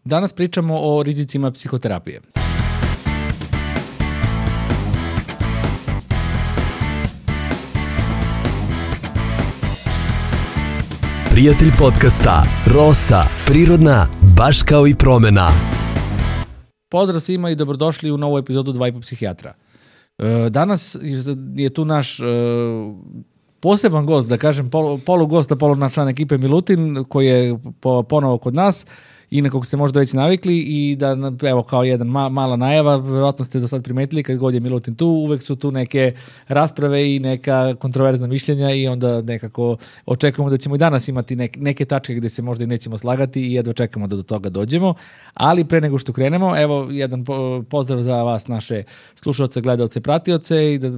Danas pričamo o rizicima psihoterapije. Prijatelj podcasta Rosa, prirodna, baš kao i promena. Pozdrav svima i dobrodošli u novu epizodu 2,5 psihijatra. Danas je tu naš poseban gost, da kažem, polugost, naš član ekipe Milutin, koji je ponovo kod nas i na kog ste možda već navikli i da, evo, kao jedan mala najava, vjerojatno ste do sad primetili kad god je Milutin tu, uvek su tu neke rasprave i neka kontroverzna mišljenja i onda nekako očekujemo da ćemo i danas imati neke tačke gdje se možda i nećemo slagati i jedva čekamo da do toga dođemo, ali pre nego što krenemo, evo jedan pozdrav za vas, naše slušaoce, gledaoce, pratioce i da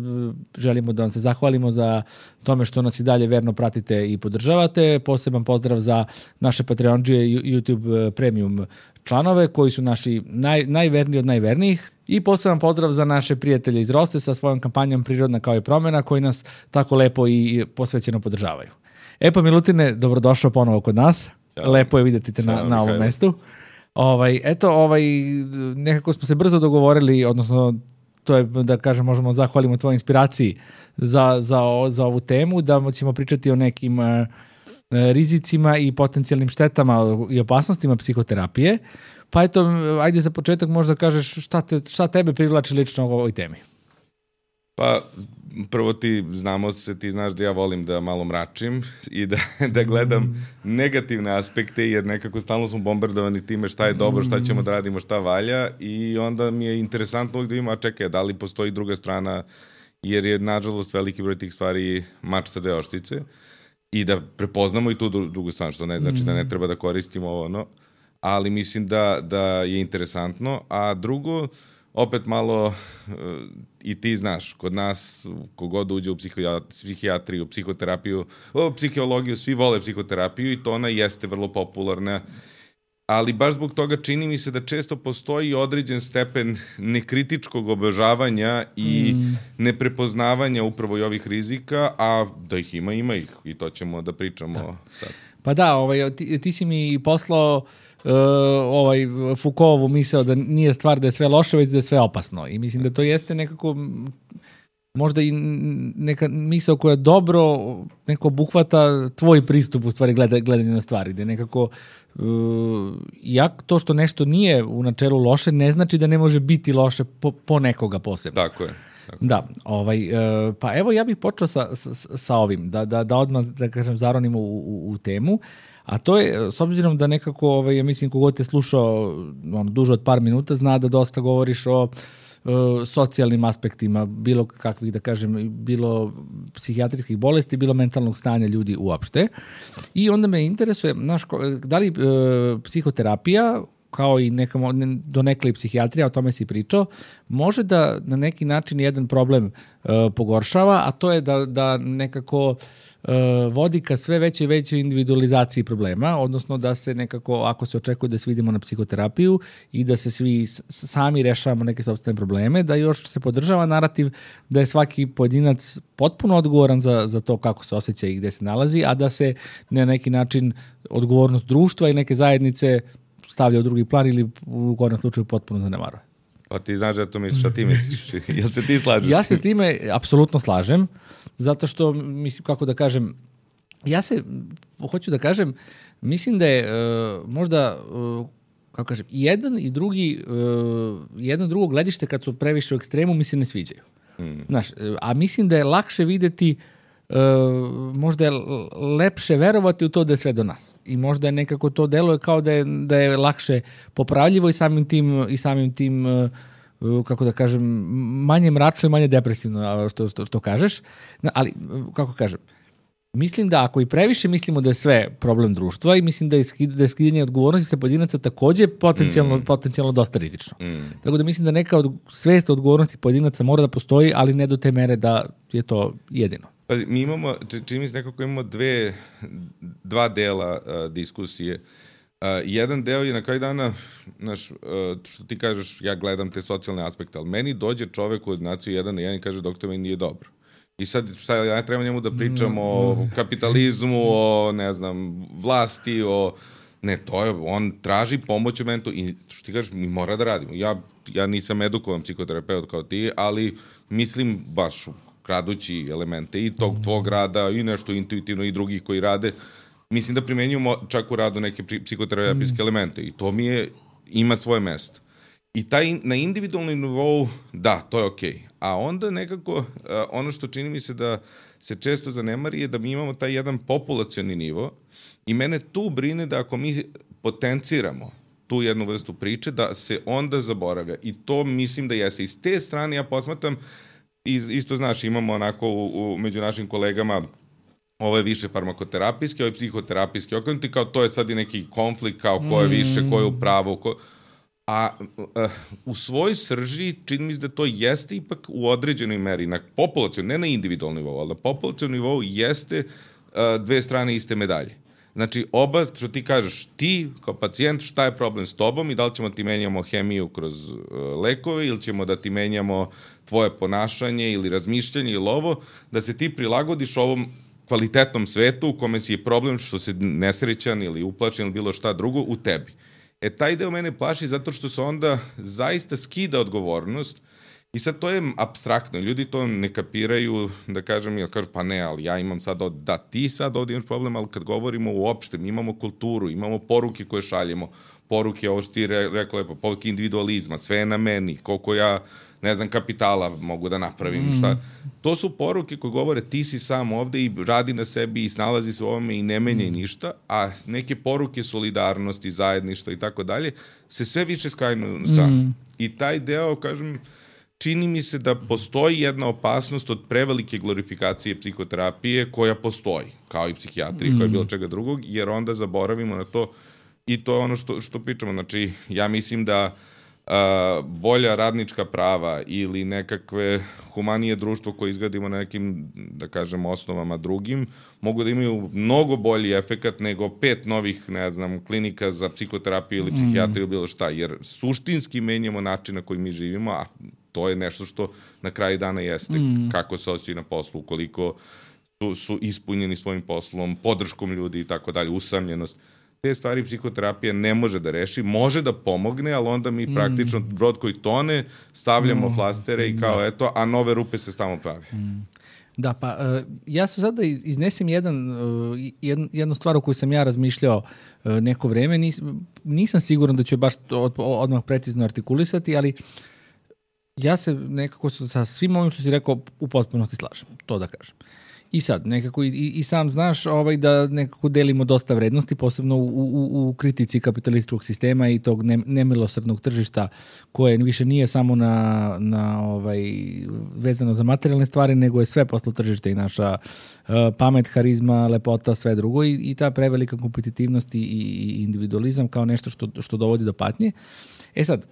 želimo da vam se zahvalimo za tome što nas i dalje verno pratite i podržavate. Poseban pozdrav za naše Patreondžije YouTube Premium članove koji su naši najverniji od najvernijih i poseban pozdrav za naše prijatelje iz Rose sa svojom kampanjom Prirodna kao i promena koji nas tako lepo i posvećeno podržavaju. Pa Milutine, dobrodošao ponovo kod nas. Ćao. Lepo je vidjeti te na ovom mestu. Nekako smo se brzo dogovorili, odnosno to je, da kažem, možemo zahvalimo tvojoj inspiraciji za ovu temu, da ćemo pričati o nekim rizicima i potencijalnim štetama i opasnostima psihoterapije. Pa eto, ajde za početak možda kažeš šta tebe privlači lično u ovoj temi. Pa, prvo ti znaš da ja volim da malo mračim i da gledam negativne aspekte, jer nekako stalno smo bombardovani time šta je dobro, šta ćemo da radimo, šta valja i onda mi je interesantno uvijek da ima, čekaj, da li postoji druga strana, jer je nažalost veliki broj tih stvari mač sa dve oštice i da prepoznamo i tu drugu stranu, što ne znači da ne treba da koristimo ovo, ali mislim da je interesantno, a drugo, opet malo, i ti znaš, kod nas, kogod uđe u psihijatriju, psihoterapiju, psihologiju, svi vole psihoterapiju i to ona jeste vrlo popularna, ali baš zbog toga čini mi se da često postoji određen stepen nekritičkog obožavanja i neprepoznavanja upravo i ovih rizika, a da ih ima ih i to ćemo da pričamo sad. Pa da, ti si mi poslao Foucaultovu misao da nije stvar da je sve loše, već da je sve opasno. I mislim da to jeste nekako možda i neka misao koja dobro neko obuhvata tvoj pristup u stvari gledanje na stvari, gde nekako to što nešto nije u načelu loše ne znači da ne može biti loše po nekoga posebno. Tako je. Da, pa evo ja bih počeo sa ovim, da odmah, da kažem, zaronimo u temu, a to je, s obzirom da nekako, ja mislim, kogod te slušao duže od par minuta, zna da dosta govoriš o socijalnim aspektima, bilo kakvih, da kažem, bilo psihijatrijskih bolesti, bilo mentalnog stanja ljudi uopšte. I onda me interesuje, da li psihoterapija, kao i donekle i psihijatrija, o tome si pričao, može da na neki način jedan problem pogoršava, a to je da nekako vodi ka sve veće i veće individualizaciji problema, odnosno da se nekako, ako se očekuje da se vidimo na psihoterapiju i da se svi sami rešavamo neke sopstvene probleme, da još se podržava narativ da je svaki pojedinac potpuno odgovoran za to kako se osjeća i gde se nalazi, a da se na neki način odgovornost društva i neke zajednice stavlja u drugi plan ili u gornjem slučaju potpuno zanemaruje. Pa ti znaš da to misliš, šta ti misliš? Jel se ti slažeš? Ja se s time apsolutno slažem, zato što, mislim, kako da kažem, hoću da kažem, mislim da je možda, kako kažem, jedan i drugo gledište kad su previše u ekstremu mi se ne sviđaju. Znaš, a mislim da je lakše videti, možda je lepše verovati u to da je sve do nas. I možda je nekako to deluje kao da je lakše popravljivo i samim tim kako da kažem, manje mračno i manje depresivno, što kažeš. Ali, kako kažem, mislim da ako i previše mislimo da je sve problem društva i mislim da je skidanje odgovornosti sa pojedinaca takođe potencijalno dosta rizično. Tako da mislim da neka svest odgovornosti pojedinaca mora da postoji, ali ne do te mere da je to jedino. Pazi, mi imamo, čini mi se nekako imamo dva dela diskusije. Jedan deo je na kraju dana, što ti kažeš, ja gledam te socijalne aspekte, ali meni dođe čovek u ordinaciju jedan na jedan i kaže, doktor, meni nije dobro. I sad, ja treba njemu da pričam o kapitalizmu, o, ne znam, vlasti, o Ne, on traži pomoć u mentu i što ti kažeš, mi mora da radimo. Ja nisam edukovan psihoterapeut kao ti, ali mislim baš kradući elemente i tog tvog rada i nešto intuitivno i drugih koji rade, mislim da primenjujemo čak u radu neke psihoterapijske elemente i to ima svoje mesto. I na individualnom nivou, da, to je okej. A onda nekako, ono što čini mi se da se često zanemari je da mi imamo taj jedan populacioni nivo i mene tu brine da ako mi potenciramo tu jednu vrstu priče, da se onda zaboravlja. I to mislim da jeste. I s te strane ja posmatram, isto znaš, imamo onako među našim kolegama ovo je više farmakoterapijski, ovo je psihoterapijski okrenuti, kao to je sad i neki konflikt, kao ko je više, ko je u pravu, a u svojoj srži čini mi se da to jeste ipak u određenoj meri, na populacijom, ne na individualnom nivou, ali na populacijom nivou jeste dve strane iste medalje. Znači, oba, što ti kažeš, ti kao pacijent, šta je problem s tobom i da li ćemo ti menjamo hemiju kroz lekove ili ćemo da ti menjamo tvoje ponašanje ili razmišljanje ili ovo, da se ti prilagodiš ovom kvalitetnom svetu u kome si je problem što se nesrećan ili uplačen ili bilo šta drugo u tebi. Taj deo mene plaši zato što se onda zaista skida odgovornost i sad to je apstraktno. Ljudi to ne kapiraju, da kažem, ja kažu pa ne, ali ja imam sad, da ti sad ovdje imaš problem, ali kad govorimo uopšte, mi imamo kulturu, imamo poruke koje šaljemo, poruke, ovo što ti rekao lepo, poruke individualizma, sve je na meni, koliko ja, ne znam, kapitala mogu da napravim, šta. To su poruke koje govore ti si sam ovde i radi na sebi i snalazi se u ovome i ne menjaj ništa, a neke poruke solidarnosti, zajedništva i tako dalje se sve više skajnu na stranu. I taj deo, kažem, čini mi se da postoji jedna opasnost od prevelike glorifikacije psihoterapije koja postoji, kao i psihijatrije, kao i bilo čega drugog, jer onda zaboravimo na to i to je ono što pričamo. Znači, ja mislim da bolja radnička prava ili nekakve humanije društvo koje izgradimo na nekim, da kažem, osnovama drugim, mogu da imaju mnogo bolji efekat nego 5 novih, ne znam, klinika za psihoterapiju ili psihijatriju ili bilo šta, jer suštinski menjamo način na koji mi živimo, a to je nešto što na kraju dana jeste kako se osjećaju na poslu, koliko su ispunjeni svojim poslom, podrškom ljudi i tako dalje, usamljenost. Te stvari psihoterapija ne može da reši, može da pomogne, ali onda mi praktično brod koji tone stavljamo flastere i kao eto, a nove rupe se stalno pravi. Da, pa ja sam sada iznesem jednu stvar o kojoj sam ja razmišljao neko vreme, nisam siguran da ću baš odmah precizno artikulisati, ali ja se nekako sa svim ovim što si rekao u potpunosti slažem, to da kažem. I sad, nekako i sam znaš da nekako delimo dosta vrednosti, posebno u kritici kapitalističkog sistema i tog nemilosrdnog tržišta koje više nije samo vezano za materijalne stvari, nego je sve poslo tržište i naša pamet, harizma, lepota, sve drugo i ta prevelika kompetitivnost i individualizam kao nešto što dovodi do patnje. Sad,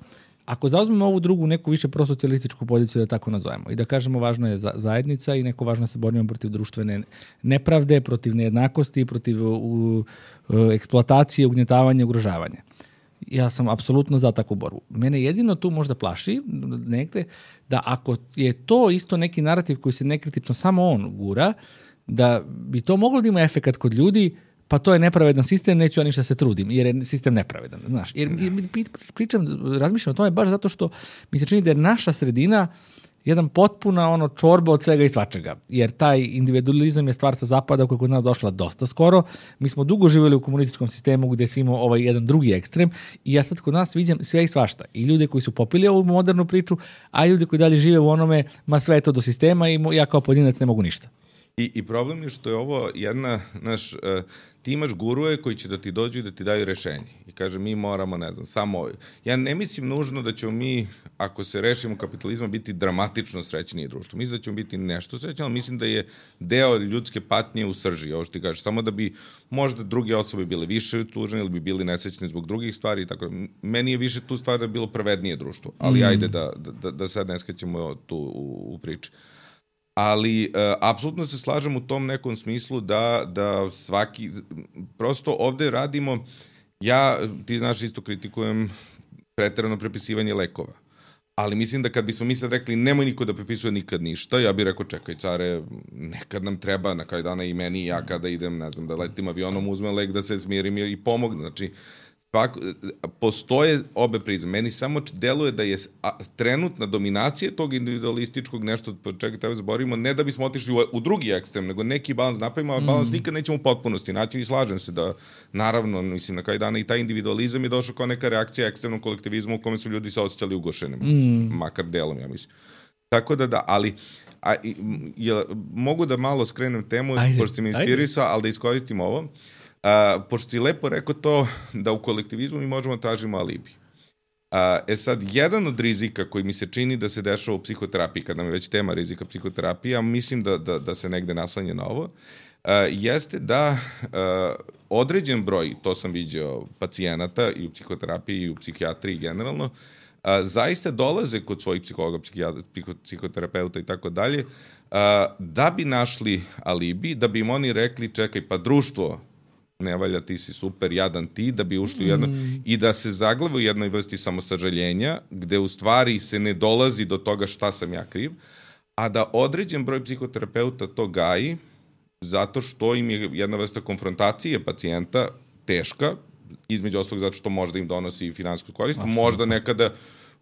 ako zauzmemo ovu drugu neku više prosocijalističku poziciju, da tako nazovemo, i da kažemo važno je zajednica i neko važno se borimo protiv društvene nepravde, protiv nejednakosti, protiv eksploatacije, ugnjetavanja, ugrožavanja. Ja sam apsolutno za takvu borbu. Mene jedino tu možda plaši negde da ako je to isto neki narativ koji se nekritično samo on gura, da bi to moglo da ima efekat kod ljudi, pa to je nepravedan sistem, neću ja ništa se trudim, jer je sistem nepravedan, znaš. Jer razmišljam o tome baš zato što mi se čini da je naša sredina jedan potpuna čorba od svega i svačega, jer taj individualizam je stvar sa zapada koja je kod nas došla dosta skoro. Mi smo dugo živjeli u komunističkom sistemu gdje si imao jedan drugi ekstrem i ja sad kod nas vidim sve i svašta. I ljude koji su popili ovu modernu priču, a i ljudi koji dalje žive u onome, ma sve je to do sistema i ja kao pojedinac ne mogu ništa. I problem je što je ovo jedna, ti imaš guruje koji će da ti dođu i da ti daju rešenje. I kaže, mi moramo, ne znam, samo ovo. Ja ne mislim nužno da ćemo mi, ako se rešimo kapitalizma, biti dramatično srećnije društvo. Mislim da ćemo biti nešto srećnije, ali mislim da je deo ljudske patnje u srži, ovo što ti kažeš, samo da bi možda druge osobe bile više tužene ili bi bili nesrećni zbog drugih stvari i tako. Meni je više tu stvar da je bilo pravednije društvo, ali ajde da sad ne skaćemo tu u priči. Ali apsolutno se slažem u tom nekom smislu da svaki, prosto ovde radimo, ti znaš isto kritikujem preterano prepisivanje lekova, Ali mislim da kad bismo mi sad rekli nemoj niko da prepisuje nikad ništa, ja bih rekao čekaj care, nekad nam treba na kraju dana i meni i ja kada idem, ne znam, da letim avionom, uzmem lek da se smirim i pomognem. Znači, postoje obe prizme. Meni samo deluje da je trenutna dominacija tog individualističkog nešto, čega treba zaborimo, ne da bismo otišli u drugi ekstrem, nego neki balans napravimo, a balans nikad nećemo u potpunosti naći i slažem se da, naravno, mislim, na kraju dana i taj individualizam je došao kao neka reakcija ekstremnom kolektivizmu u kome su ljudi se osjećali ugošenim, makar delom, ja mislim. Tako da, ali mogu da malo skrenem temu, pošto si me inspirisao, ali da iskoristim ovo. Pošto si lepo rekao to da u kolektivizmu mi možemo tražimo alibi. Sad, jedan od rizika koji mi se čini da se dešava u psihoterapiji, kad nam je već tema rizika psihoterapije, a mislim da se negde naslanja na ovo, jeste da određen broj, to sam vidio, pacijenata i u psihoterapiji i u psihijatriji generalno, zaista dolaze kod svojih psihologa, psihoterapeuta i tako dalje, da bi našli alibi, da bi im oni rekli, čekaj, pa društvo ne valja, ti si super, jadan ti, da bi ušli u jedno, i da se zaglave u jednoj vrsti samosažaljenja, gde u stvari se ne dolazi do toga šta sam ja kriv, a da određen broj psihoterapeuta to gaji, zato što im je jedna vrsta konfrontacije pacijenta teška, između ostalog zato što možda im donosi finansijsku korist,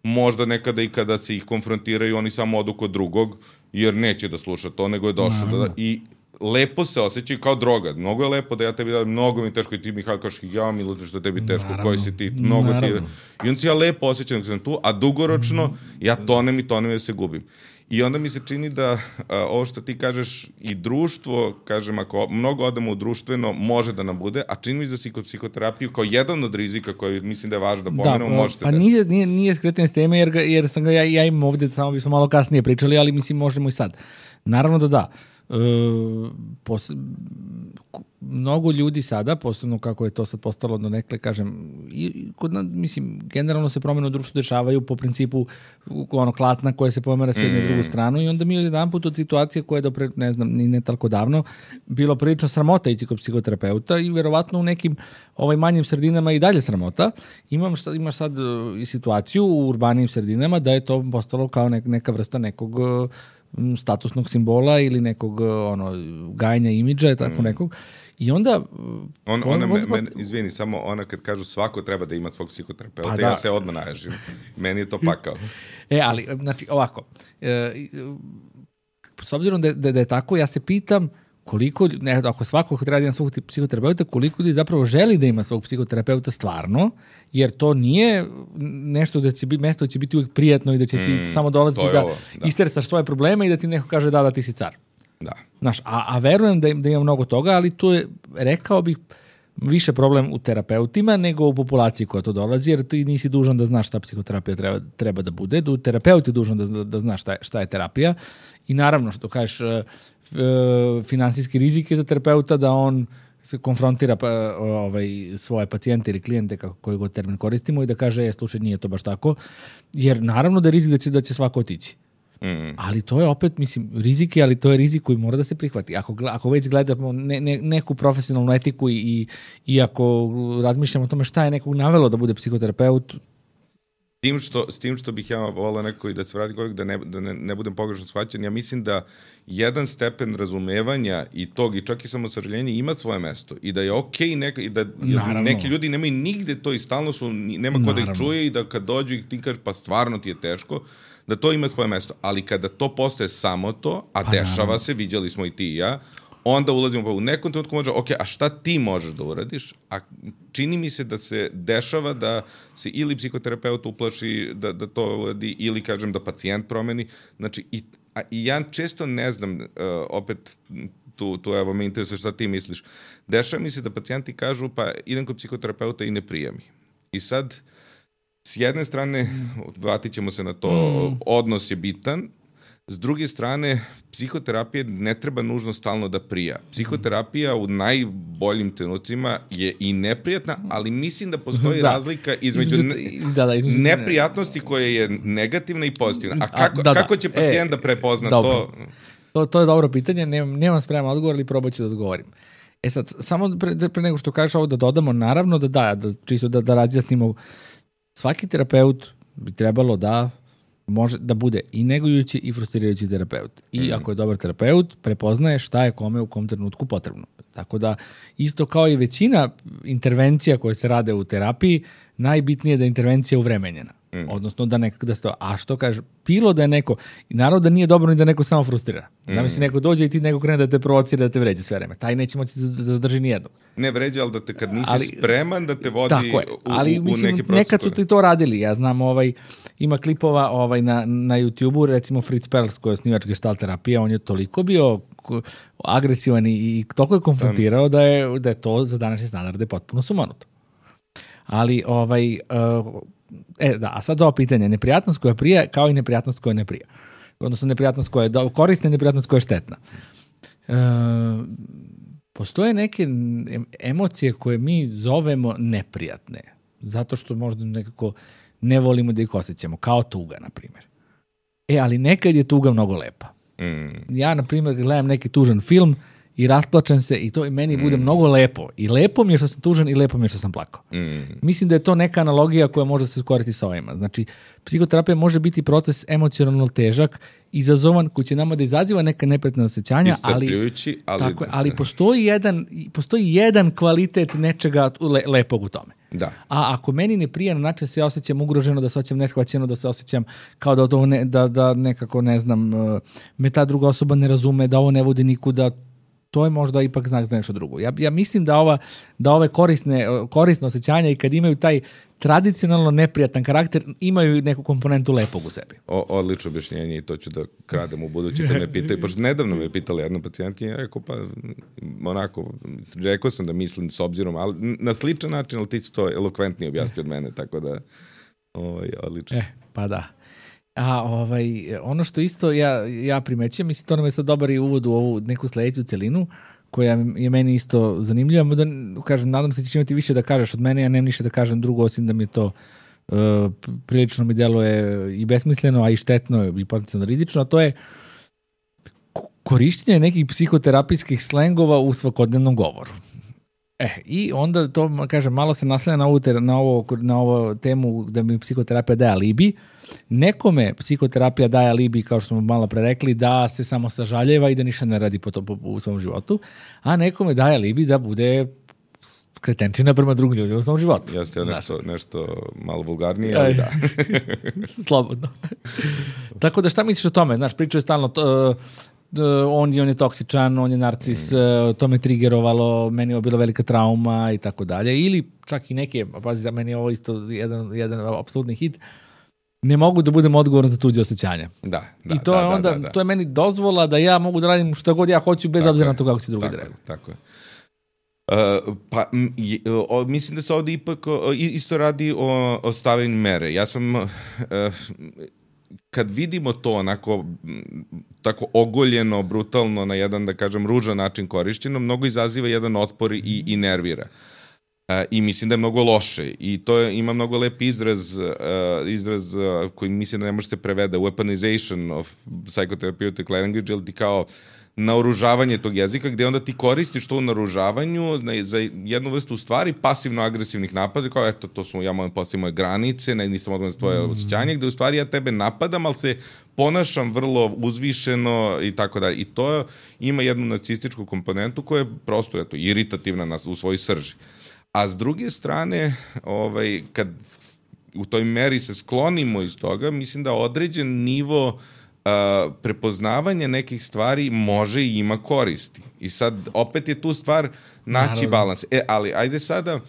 možda nekada i kada se ih konfrontiraju, oni samo odu kod drugog, jer neće da sluša to, nego je došao i lepo se osjećaju kao droga. Mnogo je lepo da ja tebi dajem, mnogo mi je teško i ti mi kažeš ja mi što je tebi teško, koji si ti, mnogo ti je. I onda se ja lepo osjećam da sam tu, a dugoročno ja tonem i se gubim. I onda mi se čini da ovo što ti kažeš i društvo, kažem, ako mnogo odemo u društveno, može da nam bude, a čini mi se da psihoterapiju kao jedan od rizika koji mislim da je važno da pomenemo, može se desiti. Pa nije skretanje s teme, jer sam ga ja imam ovde, samo bismo malo kasnije pričali, ali mislim možemo i sad. Naravno da. Mnogo ljudi sada, posebno kako je to sad postalo do nekle, kažem, mislim, generalno se promene u društvu dešavaju po principu klatna koja se pomera s jednu i drugu stranu i onda mi jedan put od situacije koja je dopre, ne znam, ni ne tako davno, bilo prilično sramota ići kod psihoterapeuta i verovatno u nekim manjim sredinama i dalje sramota. Imaš sad i situaciju u urbanim sredinama da je to postalo kao neka vrsta nekog statusnog simbola ili nekog gajenja imidža, tako nekog. I onda... Izvini, samo ona kad kažu svako treba da ima svog psihoterapeuta, ja se odmah naježim. Meni je to pakao. Ali, znači, ovako, s obzirom da je tako, ja se pitam koliko, ako svako treba da ima svog psihoterapeuta, koliko ljudi zapravo želi da ima svog psihoterapeuta stvarno, jer to nije nešto da će biti, mesto da će biti uvijek prijatno i da će ti samo dolaziti da istersaš svoje probleme i da ti neko kaže da ti si car. Da. Znaš, a verujem da ima mnogo toga, ali tu je, rekao bih, više problem u terapeutima nego u populaciji koja to dolazi, jer ti nisi dužan da znaš šta psihoterapija treba da bude, terapeut je dužan da zna šta je terapija i naravno što kažeš finansijski rizik je za terapeuta da on se konfrontira svoje pacijente ili klijente, koji god termin koristimo, i da kaže, slušaj, nije to baš tako, jer naravno da je rizik da će svako otići. Ali to je opet, mislim, rizik je, ali to je rizik koji mora da se prihvati. Ako već gledamo neku profesionalnu etiku i ako razmišljamo o tome šta je nekog navelo da bude psihoterapeut. S tim što bih ja volao neko i da se vrati da ne budem pogrešno shvaćen, ja mislim da jedan stepen razumevanja i tog i čak i samosažaljenja ima svoje mesto i da je okej neki ljudi nemaju nigde to i stalno su, nema ko da ih čuje i da kad dođu i ti kažeš pa stvarno ti je teško, da to ima svoje mesto. Ali kada to postaje samo to, a dešava se, viđali smo i ti i ja, onda ulazimo u nekom trenutku može, a šta ti možeš da uradiš? A čini mi se da se dešava da se ili psihoterapeut uplaši da to uradi, ili kažem da pacijent promeni. Znači, i ja često ne znam, opet tu evo me interesuje šta ti misliš. Dešava mi se da pacijenti kažu pa idem kod psihoterapeuta i ne prijemi. I sad, s jedne strane, vratit ćemo se na to, odnos je bitan. S druge strane, psihoterapija ne treba nužno stalno da prija. Psihoterapija u najboljim trenucima je i neprijatna, ali mislim da postoji razlika između neprijatnosti koja je negativna i pozitivna. A kako će pacijent da prepozna to? To je dobro pitanje, nemam spreman odgovor, ali probat ću da odgovorim. Sad, samo pre nego što kažeš ovo da dodamo, naravno čisto da razjasnimo, svaki terapeut bi trebalo da može da bude i negujući i frustrirajući terapeut. I ako je dobar terapeut, prepoznaje šta je kome u kom trenutku potrebno. Tako da, isto kao i većina intervencija koje se rade u terapiji, najbitnije je da je intervencija uvremenjena. Odnosno da se to, a što kaže, bilo da je neko, i naravno da nije dobro ni da neko samo frustrira. Zamisli neko dođe i ti neko krene da te provocira, da te vređa sve vreme. Taj neće moći da zadrži nijednog. Ne vređa, ali da te kad nisi spreman da te vodi u mislim, neki proces. Nekad su ti to radili. Ja znam, ima klipova na YouTube-u, recimo Fritz Perls koji je osnivač gestalt terapije, on je toliko bio agresivan i toliko je konfrontirao da je to za današnje standarde potpuno sumanuto. Ali, a sad za ovo pitanje, neprijatnost koja prija kao i neprijatnost koja ne prija. Odnosno neprijatnost koja je korisna i neprijatnost koja je štetna. Postoje neke emocije koje mi zovemo neprijatne, zato što možda nekako ne volimo da ih osjećamo, kao tuga, na primjer. Ali nekad je tuga mnogo lepa. Ja, na primjer, gledam neki tužan film i rasplačem se i to i meni bude mnogo lepo. I lepo mi je što sam tužan i lepo mi je što sam plakao. Mislim da je to neka analogija koja može se koristiti sa ovima. Znači, psihoterapija može biti proces emocionalno težak, izazovan, koji će nama da izaziva neka neprijatna osjećanja, ali postoji jedan kvalitet nečega lepog u tome. Da. A ako meni ne prija na način da se osjećam ugroženo, da se osjećam neshvaćeno, da se osjećam kao da to da nekako, ne znam, me ta druga osoba ne razume, da ovo ne vodi nikuda, to je možda ipak znak za nešto drugo. Ja mislim da ove korisne osjećanja i kad imaju taj tradicionalno neprijatan karakter, imaju neku komponentu lepog u sebi. Odlično objašnjenje i to ću da kradem u budući kad me pitaju. Pošto nedavno me pitala jedna pacijentkinja, ja rekao sam da mislim s obzirom, ali na sličan način, ali ti si to elokventnije objasnio od mene, tako da odlično. Pa da. A ono što isto ja primećujem, mislim, to nam je sad dobar i uvod u ovu neku sledeću celinu, koja je meni isto zanimljiva, da kažem, nadam se da ćeš imati više da kažeš od mene, ja nemam ništa da kažem drugo, osim da mi je to prilično mi deluje i besmisleno, a i štetno i potencijalno rizično, a to je korištenje nekih psihoterapijskih slengova u svakodnevnom govoru. I onda to, kažem, malo se naslanja na ovu temu da mi psihoterapija daje alibi. Nekome psihoterapija daje alibi, kao što smo malo pre rekli, da se samo sažaljeva i da ništa ne radi u svom životu, a nekome daje alibi da bude kretenčina prema drugim ljudima u svom životu. Jeste nešto malo vulgarnije, ali da. Slobodno. Tako da šta misliš o tome? Znaš, pričao je stalno on je toksičan, on je narcis, to me trigerovalo, meni je bilo velika trauma i tako dalje. Ili čak i neke, pazi, za meni je ovo isto jedan apsolutni hit, ne mogu da budem odgovoran za tuđe osjećanja. I to je onda, to je meni dozvola da ja mogu da radim šta god ja hoću, bez obzira na to kako će drugi da reaguju. Tako je. Mislim da se ovdje ipak isto radi o stavljanju mere. Ja sam... kad vidimo to onako tako ogoljeno, brutalno, na jedan, da kažem, ružan način korišćeno, mnogo izaziva jedan otpor i nervira. I mislim da je mnogo loše. I to ima mnogo lep izraz koji mislim da ne može se prevede, weaponization of psychotherapeutic language, ili ti kao naoružavanje tog jezika, gde onda ti koristiš to u naoružavanju za jednu vrstu stvari pasivno-agresivnih napada, kao eto, to su, ja moram postaviti moje granice, nisam odgovoran za tvoje osjećanje, gde u stvari ja tebe napadam, ali se ponašam vrlo uzvišeno i tako dalje. I to ima jednu nacističku komponentu koja je prosto, eto, iritativna u svojoj srži. A s druge strane, kad u toj meri se sklonimo iz toga, mislim da određen nivo prepoznavanje nekih stvari može i ima koristi. I sad, opet je tu stvar naći balans. Ali, ajde sada,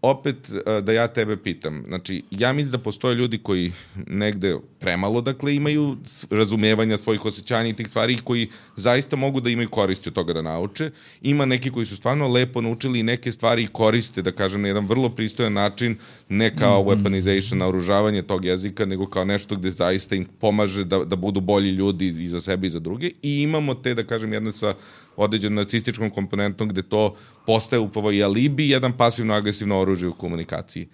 opet da ja tebe pitam. Znači, ja mislim da postoje ljudi koji negde premalo, dakle, imaju razumevanja svojih osjećanja i tih stvari koji zaista mogu da imaju koristi od toga da nauče. Ima neki koji su stvarno lepo naučili i neke stvari koriste, da kažem, na jedan vrlo pristojan način, ne kao weaponization, naoružavanje tog jezika, nego kao nešto gde zaista im pomaže da budu bolji ljudi i za sebe i za druge. I imamo te, da kažem, jedne sa određenom nacističkom komponentom gde to postaje upravo i alibi, jedan pasivno-agresivno oružje u komunikaciji.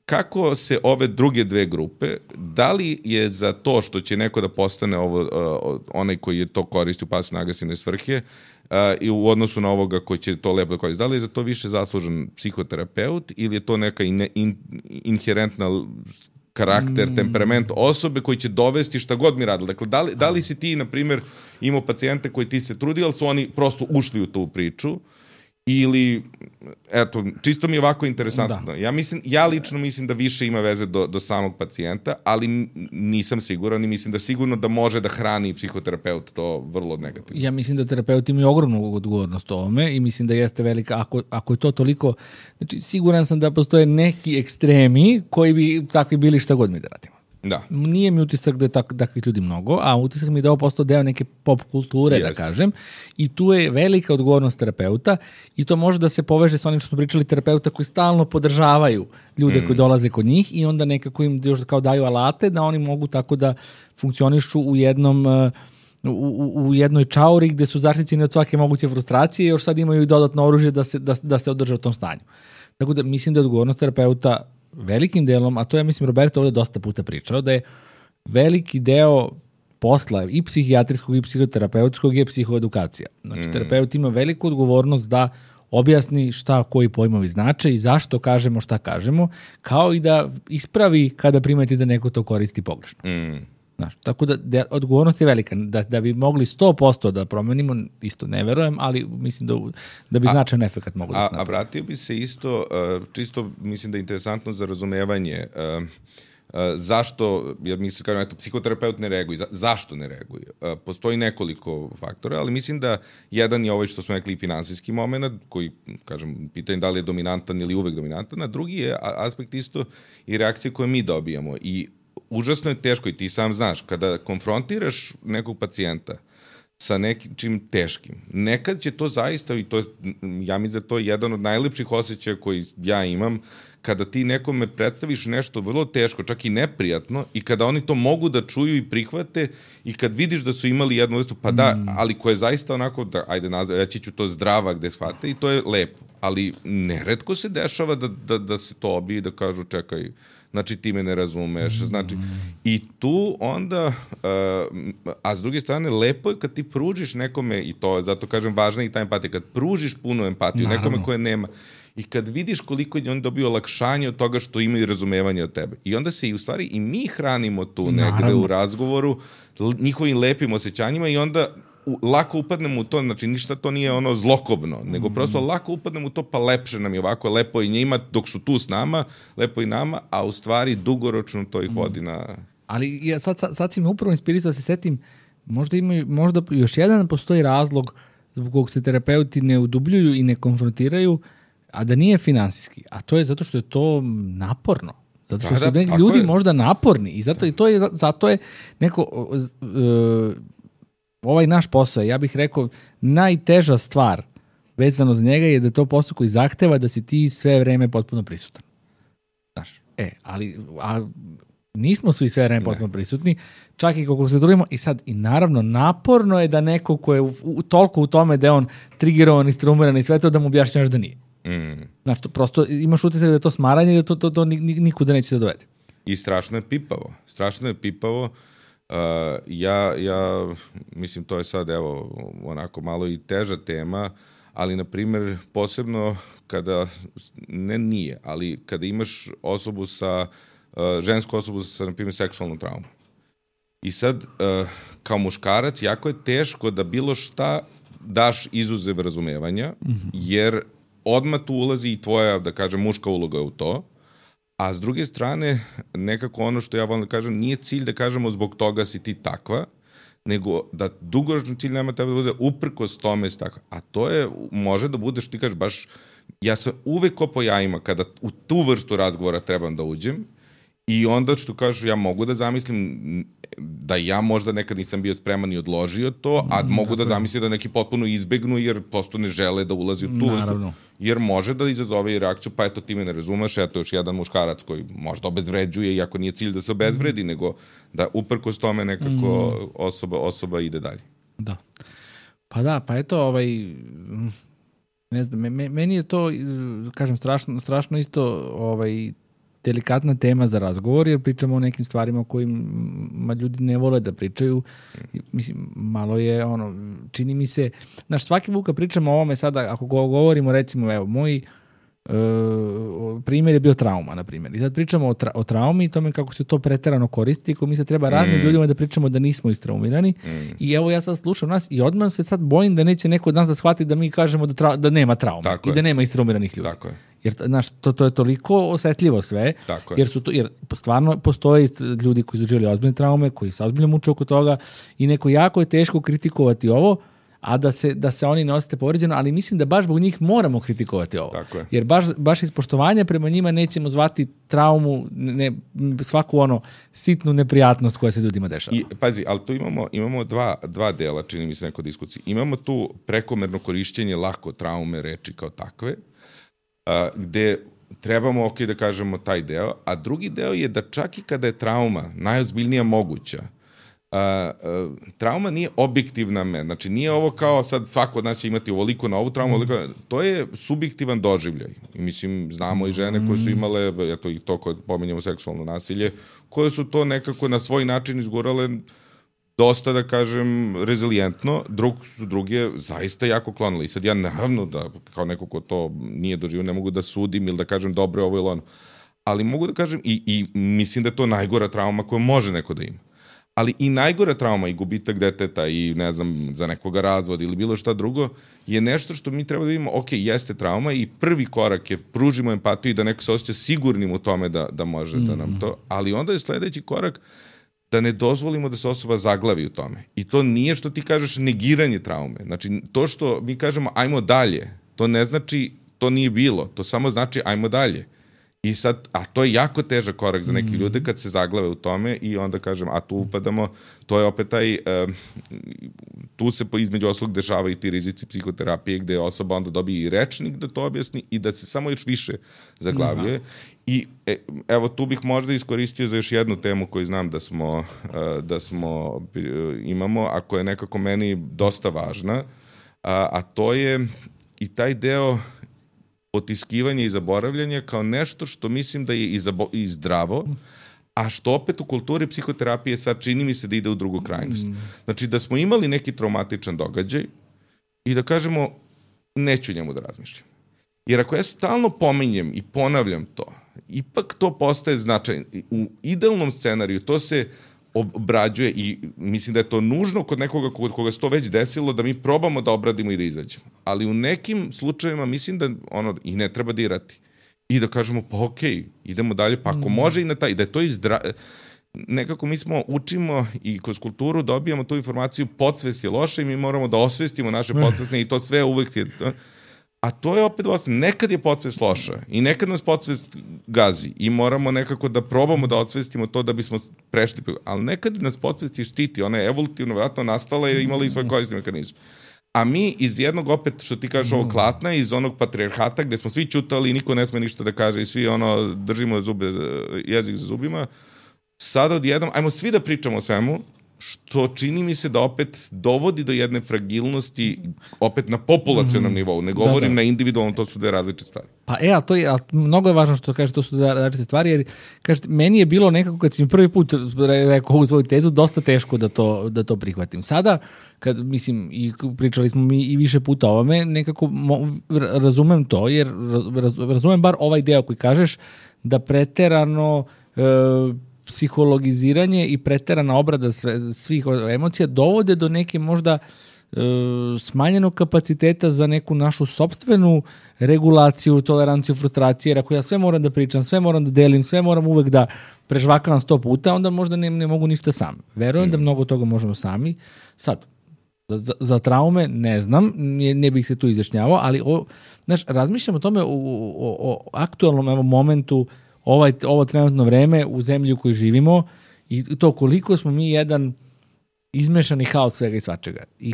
Kako se ove druge dve grupe, da li je za to što će neko da postane onaj koji je to koristi u pasivno-agresivne svrhe i u odnosu na ovoga koji će to lepo da koristi, da li je za to više zaslužen psihoterapeut ili je to neka inherentna karakter, temperament osobe koji će dovesti šta god mi radili. Dakle, da li si ti, na primjer, imao pacijente koji ti se trudi, ali su oni prosto ušli u tu priču, ili, eto, čisto mi je ovako interesantno. Ja lično mislim da više ima veze do samog pacijenta, ali nisam siguran i mislim da sigurno da može da hrani psihoterapeut to vrlo negativno. Ja mislim da terapeuti imaju ogromnu odgovornost o ovome i mislim da jeste velika, ako je to toliko, znači siguran sam da postoje neki ekstremi koji bi takvi bili šta god mi da radimo. Da. Nije mi utisak da je takvih ljudi mnogo, a utisak mi je da ovo postao deo neke pop kulture, da kažem, i tu je velika odgovornost terapeuta i to može da se poveže sa onim što smo pričali, terapeuta koji stalno podržavaju ljude koji dolaze kod njih i onda nekako im još kao daju alate da oni mogu tako da funkcionišu u jednoj čauri gde su zaštićeni od svake moguće frustracije i još sad imaju i dodatno oružje da se održe u tom stanju. Tako da mislim da je odgovornost terapeuta velikim delom, a to je, mislim, Roberto ovde dosta puta pričao, da je veliki deo posla i psihijatrijskog i psihoterapeutskog je psihoedukacija. Znači, terapeut ima veliku odgovornost da objasni šta koji pojmovi znače i zašto kažemo šta kažemo, kao i da ispravi kada primeti da neko to koristi pogrešno. Znaš, tako da odgovornost je velika. Da bi mogli 100% da promenimo, isto ne verujem, ali mislim da bi značajan efekt mogli da se napravi. A vratio bi se isto, čisto mislim da je interesantno za razumevanje, zašto, jer mislim, kažem, eto, psihoterapeut ne reaguje. Zašto ne reaguje? Postoji nekoliko faktora, ali mislim da jedan je ovaj što smo rekli finansijski moment, koji, kažem, pitanje da li je dominantan ili uvek dominantan, a drugi je aspekt isto i reakcije koje mi dobijamo. I užasno je teško i ti sam znaš, kada konfrontiraš nekog pacijenta sa nečim teškim, nekad će to zaista, i to, ja mislim da to je jedan od najlepših osjećaja koji ja imam, kada ti nekome predstaviš nešto vrlo teško, čak i neprijatno, i kada oni to mogu da čuju i prihvate, i kad vidiš da su imali jednu vrstu, pa da, ali koja je zaista onako, da, ajde, reći ću to zdrava gde shvate, i to je lepo. Ali neretko se dešava da se to obije, da kažu čekaj, znači ti me ne razumeš, znači, i tu onda, a s druge strane, lepo je kad ti pružiš nekome, i to je, zato kažem, važna i ta empatija, kad pružiš punu empatiju nekome koje nema, i kad vidiš koliko je on dobio olakšanje od toga što imaju razumevanje od tebe. I onda se i u stvari i mi hranimo tu negde u razgovoru njihovim lepim osjećanjima i onda lako upadnemo u to, znači ništa to nije ono zlokobno, nego prosto lako upadnemo u to, pa lepše nam je ovako, lepo i njima dok su tu s nama, lepo i nama, a u stvari dugoročno to ih vodi na... Ali ja sad si me upravo inspirisao da se setim, možda još jedan postoji razlog zbog kog se terapeuti ne udubljuju i ne konfrontiraju, a da nije finansijski, a to je zato što je to naporno. Zato što su ljudi možda naporni i zato je neko... ovaj naš posao, ja bih rekao, najteža stvar vezano za njega je da je to posao koji zahteva da si ti sve vreme potpuno prisutan. Znaš, ali nismo svi sve vreme potpuno prisutni, čak i kako se trudimo, i sad, i naravno, naporno je da neko ko je toliko u tome da je on trigerovan i strumiran i sve to, da mu objašnjavaš da nije. Znaš, prosto imaš utisak da je to smaranje i da to nikuda neće se dovede. I strašno je pipavo. Ja mislim, to je sad, evo, onako malo i teža tema, ali, na primjer, posebno kada, ne nije, ali kada imaš osobu žensku osobu sa, na primjer, seksualnom traumom. I sad, kao muškarac, jako je teško da bilo šta daš izuzev razumevanja, jer odmah tu ulazi i tvoja, da kažem, muška uloga u to. A s druge strane, nekako ono što ja volim da kažem, nije cilj da kažemo zbog toga si ti takva, nego da dugoročni cilj nema treba da bude uprkos tome si takva. A to je, može da bude što ti kažeš baš, ja sam uvek ko po jajima kada u tu vrstu razgovora trebam da uđem i onda što kažu, ja mogu da zamislim da ja možda nekad nisam bio spreman i odložio to, a mogu da zamislim da neki potpuno izbegnu jer prosto ne žele da ulazi u tu vrstu. Jer može da izazove i reakciju, pa eto ti me ne razumeš, eto još jedan muškarac koji možda obezvređuje, iako nije cilj da se obezvredi, nego da uprkos tome nekako osoba ide dalje. Da. Pa da, pa eto, ne znam, meni je to, kažem, strašno isto delikatna tema za razgovor, jer pričamo o nekim stvarima o kojima ljudi ne vole da pričaju. Mislim, malo je, čini mi se, svaki put kad pričamo o ovome sada, ako govorimo, recimo, evo, primjer je bio trauma, na primjer. I sad pričamo o traumi i tome kako se to preterano koristi, kako mi se treba raznim ljudima da pričamo da nismo istraumirani. I evo ja sad slušam nas i odmah se sad bojim da neće neko od nas da shvati da mi kažemo da nema traume i da nema istraumiranih ljudi. Tako je. Jer znaš, to je toliko osetljivo sve, jer stvarno postoje ljudi koji su živjeli ozbiljne traume, koji se ozbiljno muče oko toga i neko jako je teško kritikovati ovo, a da se oni ne osjete povređeno, ali mislim da baš zbog njih moramo kritikovati ovo. Jer baš iz poštovanja prema njima nećemo zvati traumu, svaku sitnu neprijatnost koja se ljudima dešava. I pazi, ali tu imamo dva dela, čini mi se neko diskusiji. Imamo tu prekomerno korišćenje lako traume reči kao takve, gde trebamo da kažemo taj deo, a drugi deo je da čak i kada je trauma najozbiljnija moguća, trauma nije objektivna znači nije ovo kao sad svako od nas će imati ovoliko na ovu traumu, to je subjektivan doživljaj. I mislim, znamo i žene koje su imale, eto i to koje pominjamo seksualno nasilje, koje su to nekako na svoj način izgurale dosta, da kažem, rezilijentno, druge zaista jako klonili. I sad ja naravno da, kao neko ko to nije doživio, ne mogu da sudim ili da kažem dobro je ovo ili ono. Ali mogu da kažem, i mislim da je to najgora trauma koju može neko da ima. Ali i najgora trauma i gubitak deteta i, ne znam, za nekoga razvod ili bilo šta drugo, je nešto što mi treba da vidimo, ok, jeste trauma i prvi korak je pružimo empatiju i da neko se osjeća sigurnim u tome da može da nam to, ali onda je sledeći korak da ne dozvolimo da se osoba zaglavi u tome. I to nije što ti kažeš negiranje traume. Znači, to što mi kažemo ajmo dalje, to ne znači to nije bilo, to samo znači ajmo dalje. I sad, a to je jako težak korak za neke ljude kad se zaglave u tome i onda kažem, a tu upadamo, to je opet taj, tu se između ostalog dešava i ti rizici psihoterapije gde osoba onda dobije i rečnik da to objasni i da se samo još više zaglavljuje. I evo tu bih možda iskoristio za još jednu temu koju znam da imamo, a koja je nekako meni dosta važna, a to je i taj deo potiskivanje i zaboravljanje kao nešto što mislim da je i zdravo, a što opet u kulturi psihoterapije sad čini mi se da ide u drugu krajnost. Znači da smo imali neki traumatičan događaj i da kažemo neću njemu da razmišljam. Jer ako ja stalno pominjem i ponavljam to, ipak to postaje značajno. U idealnom scenariju to se obrađuje i mislim da je to nužno kod nekoga koga se to već desilo da mi probamo da obradimo i da izađemo. Ali u nekim slučajevima mislim da i ne treba dirati. I da kažemo pa okej, idemo dalje, pa ako može i na taj, da je to nekako mi učimo i kroz kulturu dobijamo tu informaciju podsvest je loša i mi moramo da osvestimo naše podsvestne i to sve uvek je... A to je opet nekad je podsvest loša i nekad nas podsvest gazi i moramo nekako da probamo da odsvestimo to da bismo prešli. Ali nekad nas podsvest štiti, ona je evolutivno vjerojatno nastala i imala i svoj korisni mehanizam. A mi iz jednog, opet, što ti kažeš ovog klatna, iz onog patrijarhata gde smo svi ćutali i niko ne sme ništa da kaže i svi držimo jezik za zubima, sada odjednom, ajmo svi da pričamo o svemu, što čini mi se da opet dovodi do jedne fragilnosti opet na populacionom nivou. Ne govorim na individualnom, to su dve različite stvari. Pa mnogo je važno što kažeš, to su dve različite stvari, jer kažete, meni je bilo nekako kad si mi prvi put rekao ovu svoju tezu, dosta teško da to prihvatim. Sada, kad mislim, i pričali smo mi i više puta o ovome, nekako razumem to, jer razumem bar ovaj deo koji kažeš da preterano psihologiziranje i preterana obrada svih emocija dovode do neke možda smanjenog kapaciteta za neku našu sopstvenu regulaciju, toleranciju, frustracije, jer ako ja sve moram da pričam, sve moram da delim, sve moram uvek da prežvakavam 100 puta, onda možda ne mogu ništa sam. Verujem da mnogo toga možemo sami. Sad, za traume ne znam, ne bih se tu izjašnjavao, ali razmišljam o tome o aktualnom momentu, ovo trenutno vreme u zemlji u kojoj živimo i to koliko smo mi jedan izmešani haos svega i svačega. I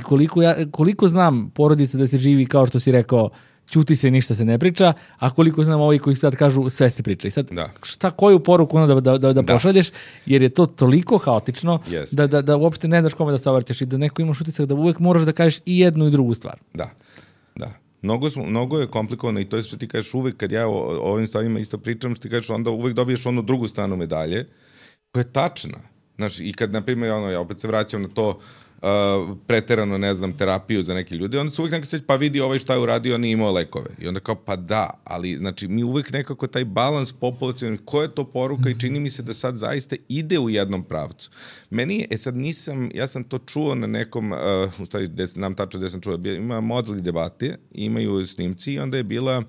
koliko znam porodice da se živi kao što si rekao, ćuti se, ništa se ne priča, a koliko znam ovi koji sad kažu sve se priča. I sad koju poruku da pošalješ, jer je to toliko haotično da uopšte ne znaš kome da se obraćaš i da neko imaš utisak da uvek moraš da kažeš i jednu i drugu stvar. Da. Mnogo je komplikovano i to je što ti kažeš uvek kad ja o ovim stvarima isto pričam, što ti kažeš onda uvek dobiješ onu drugu stranu medalje koja je tačna. Znaš, i kad, na primjer, ja opet se vraćam na to preterano, ne znam, terapiju za neke ljude, onda se uvijek nekako seća, pa vidi ovaj šta je uradio, nije imao lekove. I onda kao, pa da, ali znači mi uvijek nekako taj balans populacijalni, koja je to poruka i čini mi se da sad zaista ide u jednom pravcu. Meni, sad nisam, ja sam to čuo na nekom, u stvari, znam tačno gde sam čuo, ima Mozli debate, imaju snimci i onda je bila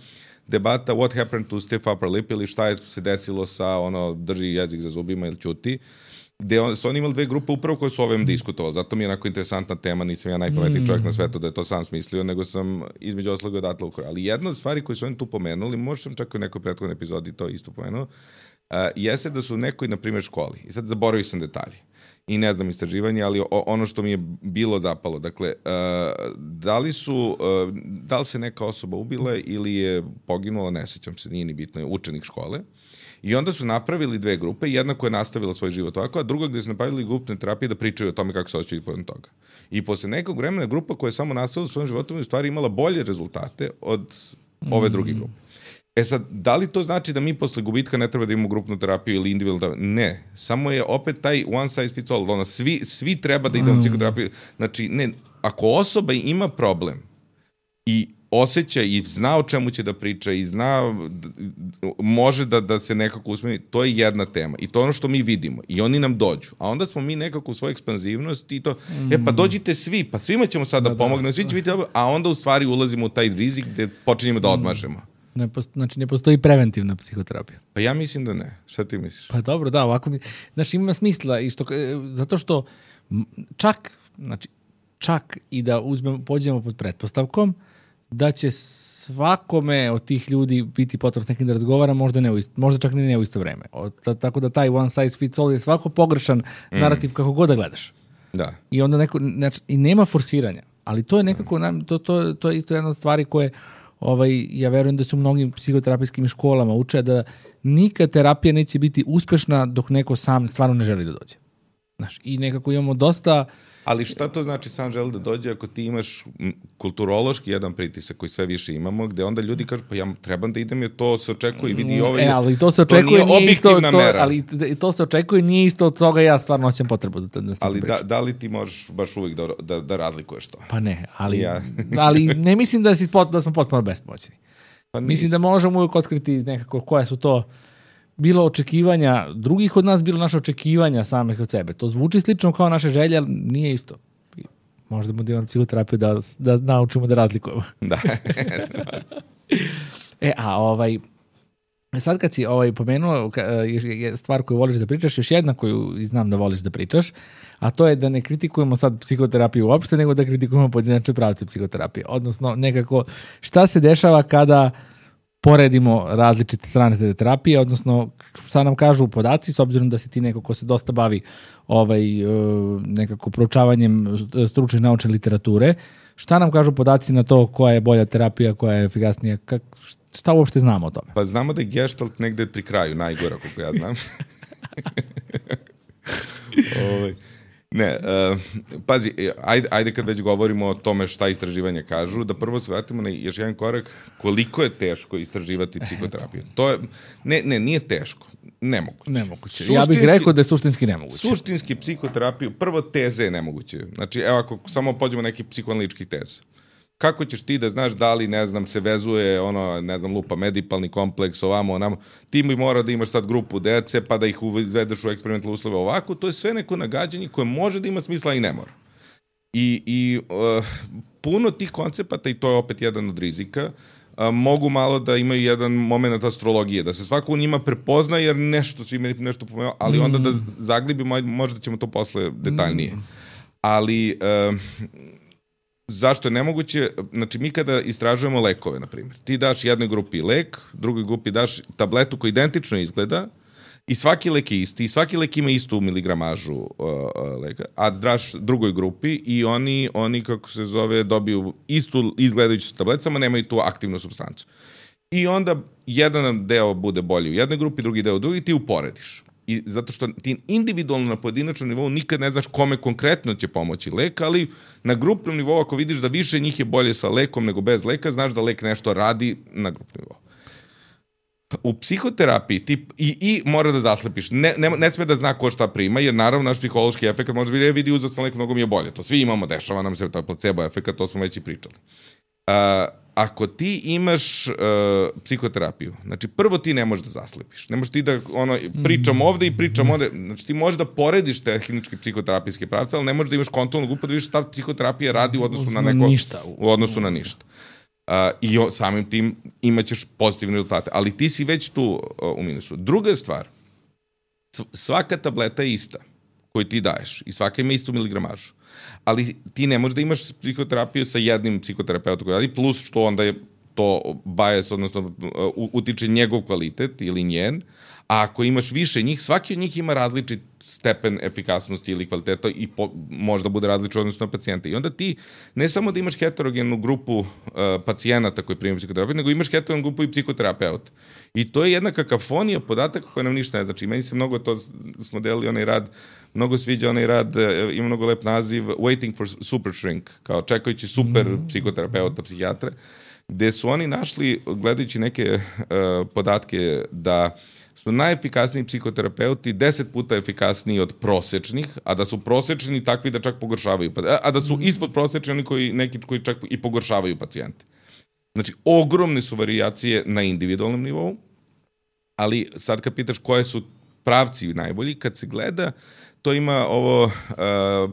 debata what happened to stiff upper lip ili šta je se desilo sa drži jezik za zubima ili ćuti, gde su oni imali dve grupe upravo koje su ovim diskutovali. Zato mi je onako interesantna tema, nisam ja najpametniji čovjek na svetu da je to sam smislio, nego sam između osloga odatle ukoro. Ali jedna od stvari koje su oni tu pomenuli, možda sam čak u nekoj prethodnoj epizodi to isto pomenuo, jeste da su u nekoj, na primjer, školi. I sad zaboravio sam detalje. I ne znam istraživanje, ali ono što mi je bilo zapalo, dakle, da li se neka osoba ubila ili je poginula, ne sećam se, nije ni bitno, je učenik škole. I onda su napravili dve grupe, jedna koja je nastavila svoj život ovako, a druga gde su napravili grupne terapije da pričaju o tome kako se osjećaju povodom toga. I posle nekog vremena grupa koja je samo nastavila svojim životom u stvari imala bolje rezultate od ove druge grupe. E sad, da li to znači da mi posle gubitka ne treba da imamo grupnu terapiju ili individualnu terapiju? Ne. Samo je opet taj one size fits all. Svi treba da idemo u psihoterapiju. Znači, ne, ako osoba ima problem i osjeća i zna o čemu će da priča i zna, može da se nekako usmeni, to je jedna tema. I to je ono što mi vidimo. I oni nam dođu. A onda smo mi nekako u svojoj ekspanzivnosti i to, pa dođite svi, pa svima ćemo sad da pomognemo, svi će biti, a onda u stvari ulazimo u taj rizik gde počinjemo da odmažemo. Znači, ne postoji preventivna psihoterapija. Pa ja mislim da ne. Šta ti misliš? Pa dobro, da, ovako mi... Znači, ima smisla, zato što čak i da pođemo pod pretpostavkom da će svakome od tih ljudi biti potrebno s nekim da razgovara, možda čak ne u isto vreme. Tako da taj one size fits all je svako pogrešan narativ kako god da gledaš. Da. I onda i nema forsiranja. Ali to je nekako, to je isto jedna od stvari koje ja verujem da su u mnogim psihoterapijskim školama uče da nikad terapija neće biti uspešna dok neko sam stvarno ne želi da dođe. Znaš, i nekako imamo dosta... Ali šta to znači sam želi da dođe ako ti imaš kulturološki jedan pritisak koji sve više imamo, gde onda ljudi kažu pa ja trebam da idem jer to se očekuje i vidi ovo. Ali to se očekuje, nije objektivna mera. Ali to se očekuje, nije isto od toga, ja stvarno osjećam potrebu da ali da li ti možeš baš uvijek da razlikuješ to? Pa ne, ali ne mislim da smo potpuno bespomoćni. Pa mislim da možemo uvijek otkriti nekako koja su to bilo očekivanja drugih od nas, bilo naše očekivanja samih od sebe. To zvuči slično kao naše želje, ali nije isto. Možda da imamo psihoterapiju da naučimo da razlikujemo. Da. Sad kad si pomenuo stvar koju voliš da pričaš, još jedna koju znam da voliš da pričaš, a to je da ne kritikujemo sad psihoterapiju uopšte, nego da kritikujemo pojedinačne pravce psihoterapije. Odnosno, nekako, šta se dešava kada poredimo različite strane te terapije, odnosno šta nam kažu podaci, s obzirom da si ti neko ko se dosta bavi nekako proučavanjem stručne naučne literature, šta nam kažu podaci na to koja je bolja terapija, koja je efikasnija, šta uopšte znamo o tome? Pa znamo da je Gestalt negde pri kraju, najgora koliko ja znam. Ne, pazi, ajde kad već govorimo o tome šta istraživanja kažu, da prvo se vratimo na još jedan korak, koliko je teško istraživati psihoterapiju. To je, nije teško, nemoguće. Ja bih rekao da je suštinski nemoguće. Suštinski psihoterapiju, prvo teze je nemoguće. Znači, evo ako samo pođemo neki psihoanalitičkih teza. Kako ćeš ti da znaš da li, ne znam, se vezuje lupa, medipalni kompleks, ovamo, onamo, ti mi mora da imaš sad grupu dece, pa da ih izvedeš u eksperimentalne uslove ovako, to je sve neko nagađanje koje može da ima smisla i ne mora. I puno tih koncepata, i to je opet jedan od rizika, mogu malo da imaju jedan moment astrologije, da se svako u njima prepozna, jer svi meni nešto pomenuo, ali onda da zaglibimo, možda ćemo to posle detaljnije. Ali... Zašto je nemoguće? Znači, mi kada istražujemo lekove, na primjer, ti daš jednoj grupi lek, drugoj grupi daš tabletu koja identično izgleda i svaki lek je isti, i svaki lek ima istu miligramažu leka, a daš drugoj grupi i oni kako se zove, dobiju istu izgledajuću tabletu, samo nemaju tu aktivnu supstancu. I onda jedan deo bude bolji u jednoj grupi, drugi deo u drugi, ti uporediš. I zato što ti individualno na pojedinačnom nivou nikad ne znaš kome konkretno će pomoći lek, ali na grupnom nivou ako vidiš da više njih je bolje sa lekom nego bez leka, znaš da lek nešto radi na grupnom nivou. U psihoterapiji i mora da zaslepiš. Ne sme da zna ko šta prima, jer naravno naš psihološki efekt može biti, vidi, uzeo sam lek, mnogo mi je bolje. To svi imamo, dešava nam se, to je placebo efekt, to smo već i pričali. Ako ti imaš psihoterapiju, znači prvo ti ne možeš da zaslepiš. Ne možeš ti da pričam ovde i pričam ovde. Znači ti možeš da porediš tehnički psihoterapijske pravce, ali ne možeš da imaš kontrolnu grupu da vidiš šta psihoterapija radi u odnosu na neko... Ništa. U odnosu na ništa. I samim tim imaćeš pozitivne rezultate. Ali ti si već tu u minusu. Druga stvar, svaka tableta je ista koju ti daješ i svaka ima istu miligramažu. Ali ti ne možeš da imaš psihoterapiju sa jednim psihoterapeutom koji radi, plus što onda je to bias, odnosno utiče njegov kvalitet ili njen, a ako imaš više njih, svaki od njih ima različit stepen efikasnosti ili kvaliteta i možda bude različit odnosno na pacijenta. I onda ti ne samo da imaš heterogenu grupu pacijenata koji primaju psihoterapiju, nego imaš heterogenu grupu i psihoterapeuta. I to je jedna kakafonija podataka koja nam ništa ne znači. Meni se mnogo, to smo delili onaj rad, mnogo sviđa onaj rad, ima mnogo lep naziv Waiting for Super Shrink, kao čekajući super psihoterapeuta, psihijatra, gde su oni našli, gledajući neke podatke, da su najefikasniji psihoterapeuti 10 puta efikasniji od prosečnih, a da su prosečni takvi da čak pogoršavaju, a da su ispod prosečni oni neki koji čak i pogoršavaju pacijente. Znači, ogromne su varijacije na individualnom nivou, ali sad kad pitaš koje su pravci najbolji, kad se gleda, to ima ovo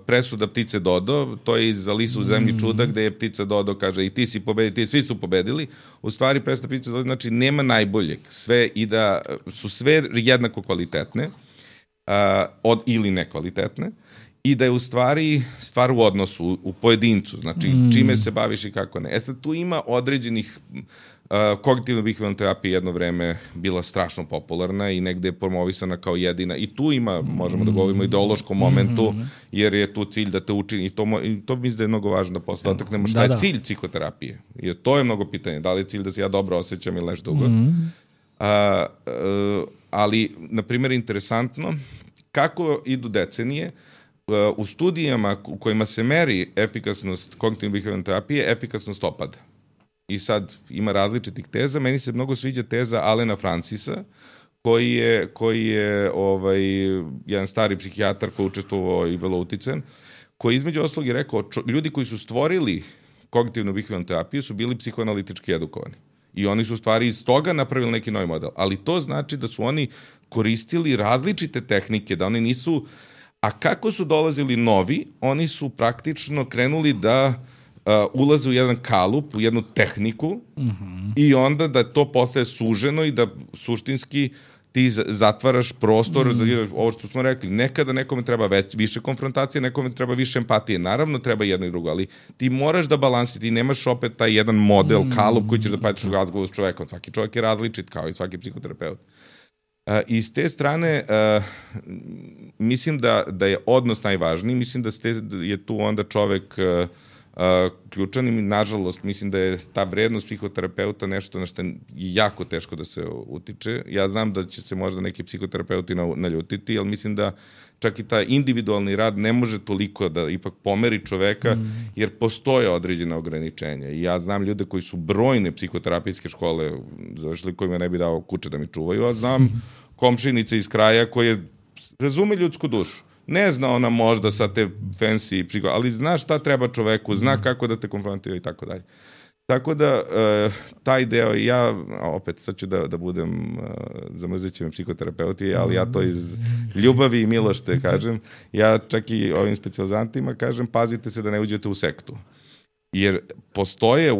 presuda ptice Dodo, to je iz Alisu u zemlji čuda, gde je ptica Dodo, kaže i ti si pobedili, svi su pobedili. U stvari presuda ptice Dodo znači nema najboljeg, sve i da su sve jednako kvalitetne ili nekvalitetne i da je u stvari stvar u odnosu, u pojedincu, znači čime se baviš i kako ne. Sad tu ima određenih kognitivno-behavioralna terapija jedno vreme bila strašno popularna i negde je promovisana kao jedina. I tu ima, možemo da govorimo o ideološkom momentu, jer je tu cilj da te učini. I to mislim da je mnogo važno da posle dotaknemo šta je cilj psihoterapije. Jer to je mnogo pitanje. Da li je cilj da se ja dobro osjećam ili nešto drugo. Ali, na primjer, interesantno kako idu decenije u studijama u kojima se meri efikasnost kognitivno-behavioralne terapije, efikasnost opada. I sad ima različitih teza. Meni se mnogo sviđa teza Alena Francisa, koji je jedan stari psihijatar koji je učestvovao i vrlo utican, koji između ostalog je rekao, ljudi koji su stvorili kognitivno-behavioralnu terapiju su bili psihoanalitički edukovani. I oni su u stvari iz toga napravili neki novi model. Ali to znači da su oni koristili različite tehnike, da oni nisu... A kako su dolazili novi, oni su praktično krenuli da ulaze u jedan kalup, u jednu tehniku i onda da to postaje suženo i da suštinski ti zatvaraš prostor, ovo što smo rekli, nekada nekome treba više konfrontacije, nekome treba više empatije. Naravno treba jedno i drugo, ali ti moraš da balansiti, ti nemaš opet taj jedan model, kalup koji ćeš zapatiš u razgovoru s čovekom. Svaki čovjek je različit, kao i svaki psihoterapeut. I s te strane, mislim da je odnos najvažniji, mislim da je tu onda čovek ključan i nažalost mislim da je ta vrednost psihoterapeuta nešto na što je jako teško da se utiče. Ja znam da će se možda neki psihoterapeuti naljutiti, ali mislim da čak i taj individualni rad ne može toliko da ipak pomeri čoveka, jer postoje određene ograničenja. I ja znam ljude koji su brojne psihoterapijske škole završili, kojima ne bi dao kuće da mi čuvaju, a znam komšinice iz kraja koje razume ljudsku dušu. Ne zna ona možda sa te fancy ali zna šta treba čoveku, zna kako da te konfrontira i tako dalje. Tako da, taj deo, ja, opet, sad ću da budem zamrzeći me psihoterapeuti, ali ja to iz ljubavi i milošte kažem. Ja čak i ovim specijalizantima kažem, pazite se da ne uđete u sektu. Jer postoje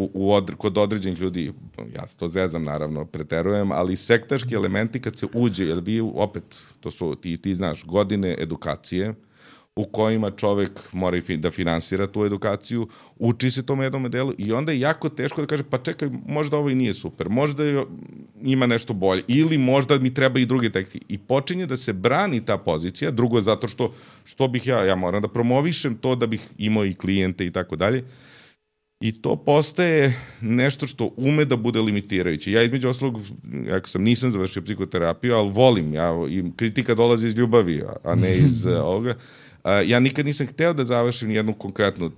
kod određenih ljudi, ja se to zezam naravno, preterujem, ali sektaški elementi kad se uđe, jer vi opet, to su, ti znaš, godine edukacije u kojima čovek mora da finansira tu edukaciju, uči se tom jednom delu i onda je jako teško da kaže, pa čekaj, možda ovo i nije super, možda ima nešto bolje ili možda mi treba i druge tehnike. I počinje da se brani ta pozicija, drugo zato što bih ja moram da promovišem to da bih imao i klijente i tako dalje. I to postaje nešto što ume da bude limitirajuće. Ja između ostalog, nisam završio psihoterapiju, ali volim, i kritika dolazi iz ljubavi, a ne iz ovoga. Ja nikad nisam hteo da završim jednu konkretnu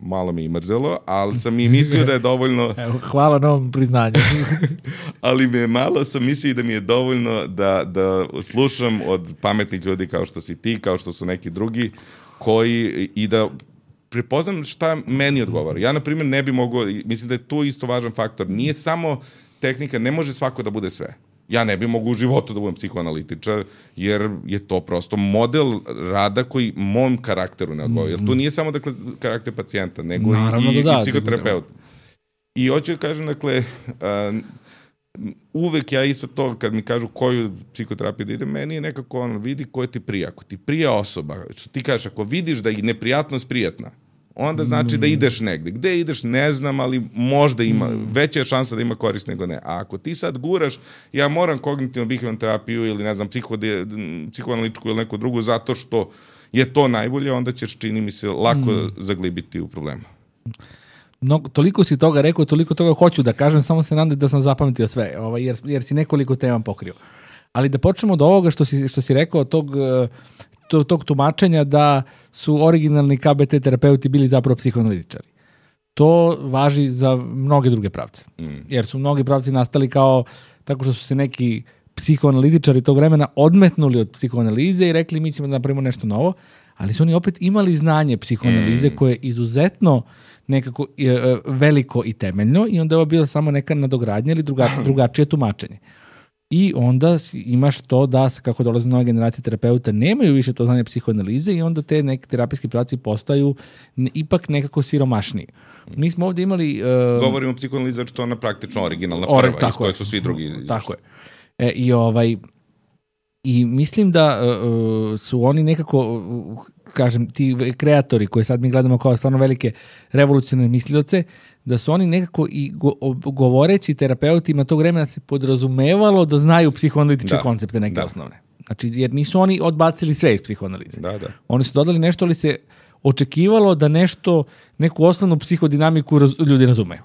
malo mi je mrzelo, ali sam i mislio da je dovoljno... Evo, hvala na ovom priznanju. Ali sam mislio da mi je dovoljno da slušam od pametnih ljudi kao što si ti, kao što su neki drugi, koji i da prepoznam šta meni odgovara. Ja, na primjer, ne bi mogao, mislim da je tu isto važan faktor. Nije samo tehnika, ne može svako da bude sve. Ja ne bi mogu u životu da budem psihoanalitičar, jer je to prosto model rada koji mom karakteru ne odgovara. Jer tu nije samo, dakle, karakter pacijenta, nego i psihoterapeut. I hoću da kažem, dakle, uvek ja isto to, kad mi kažu koju psihoterapiju da ide, meni je nekako vidi koja ti prija. Ako ti prija osoba, što ti kažeš, ako vidiš da je neprijatnost prijatna, onda znači da ideš negde. Gde ideš, ne znam, ali možda ima, veća je šansa da ima korist nego ne. A ako ti sad guraš, ja moram kognitivno behavioralnu terapiju ili, ne znam, psihoanalitičku ili neku drugu, zato što je to najbolje, onda ćeš, čini mi se, lako zaglibiti u problema. Toliko si toga rekao, toliko toga hoću da kažem, samo se nadam da sam zapametio sve, jer si nekoliko tema pokrio. Ali da počnemo od ovoga što si rekao, tog tumačenja da su originalni KBT terapeuti bili zapravo psihoanalitičari. To važi za mnoge druge pravce. Jer su mnogi pravci nastali kao tako što su se neki psihoanalitičari tog vremena odmetnuli od psihoanalize i rekli mi ćemo da napravimo nešto novo, ali su oni opet imali znanje psihoanalize koje je izuzetno nekako veliko i temeljno i onda je ovo bilo samo neka nadogradnja ili drugačije tumačenje. I onda imaš to da, kako dolaze nove generacije terapeuta, nemaju više to znanje psihoanalize i onda te neki terapijski pravci postaju ipak nekako siromašniji. Mi smo ovdje imali... Govorimo o psihoanalizi, što je ona praktično originalna prva, iz koje su svi drugi... Tako je. I mislim da su oni nekako, kažem, ti kreatori koje sad mi gledamo kao stvarno velike revolucionarne mislioce, da su oni nekako i govoreći terapeutima tog vremena se podrazumevalo da znaju psihoanalitičke koncepte neke osnovne. Znači, jer nisu oni odbacili sve iz psihoanalize. Oni su dodali nešto, ali se očekivalo da neku osnovnu psihodinamiku ljudi razumeju.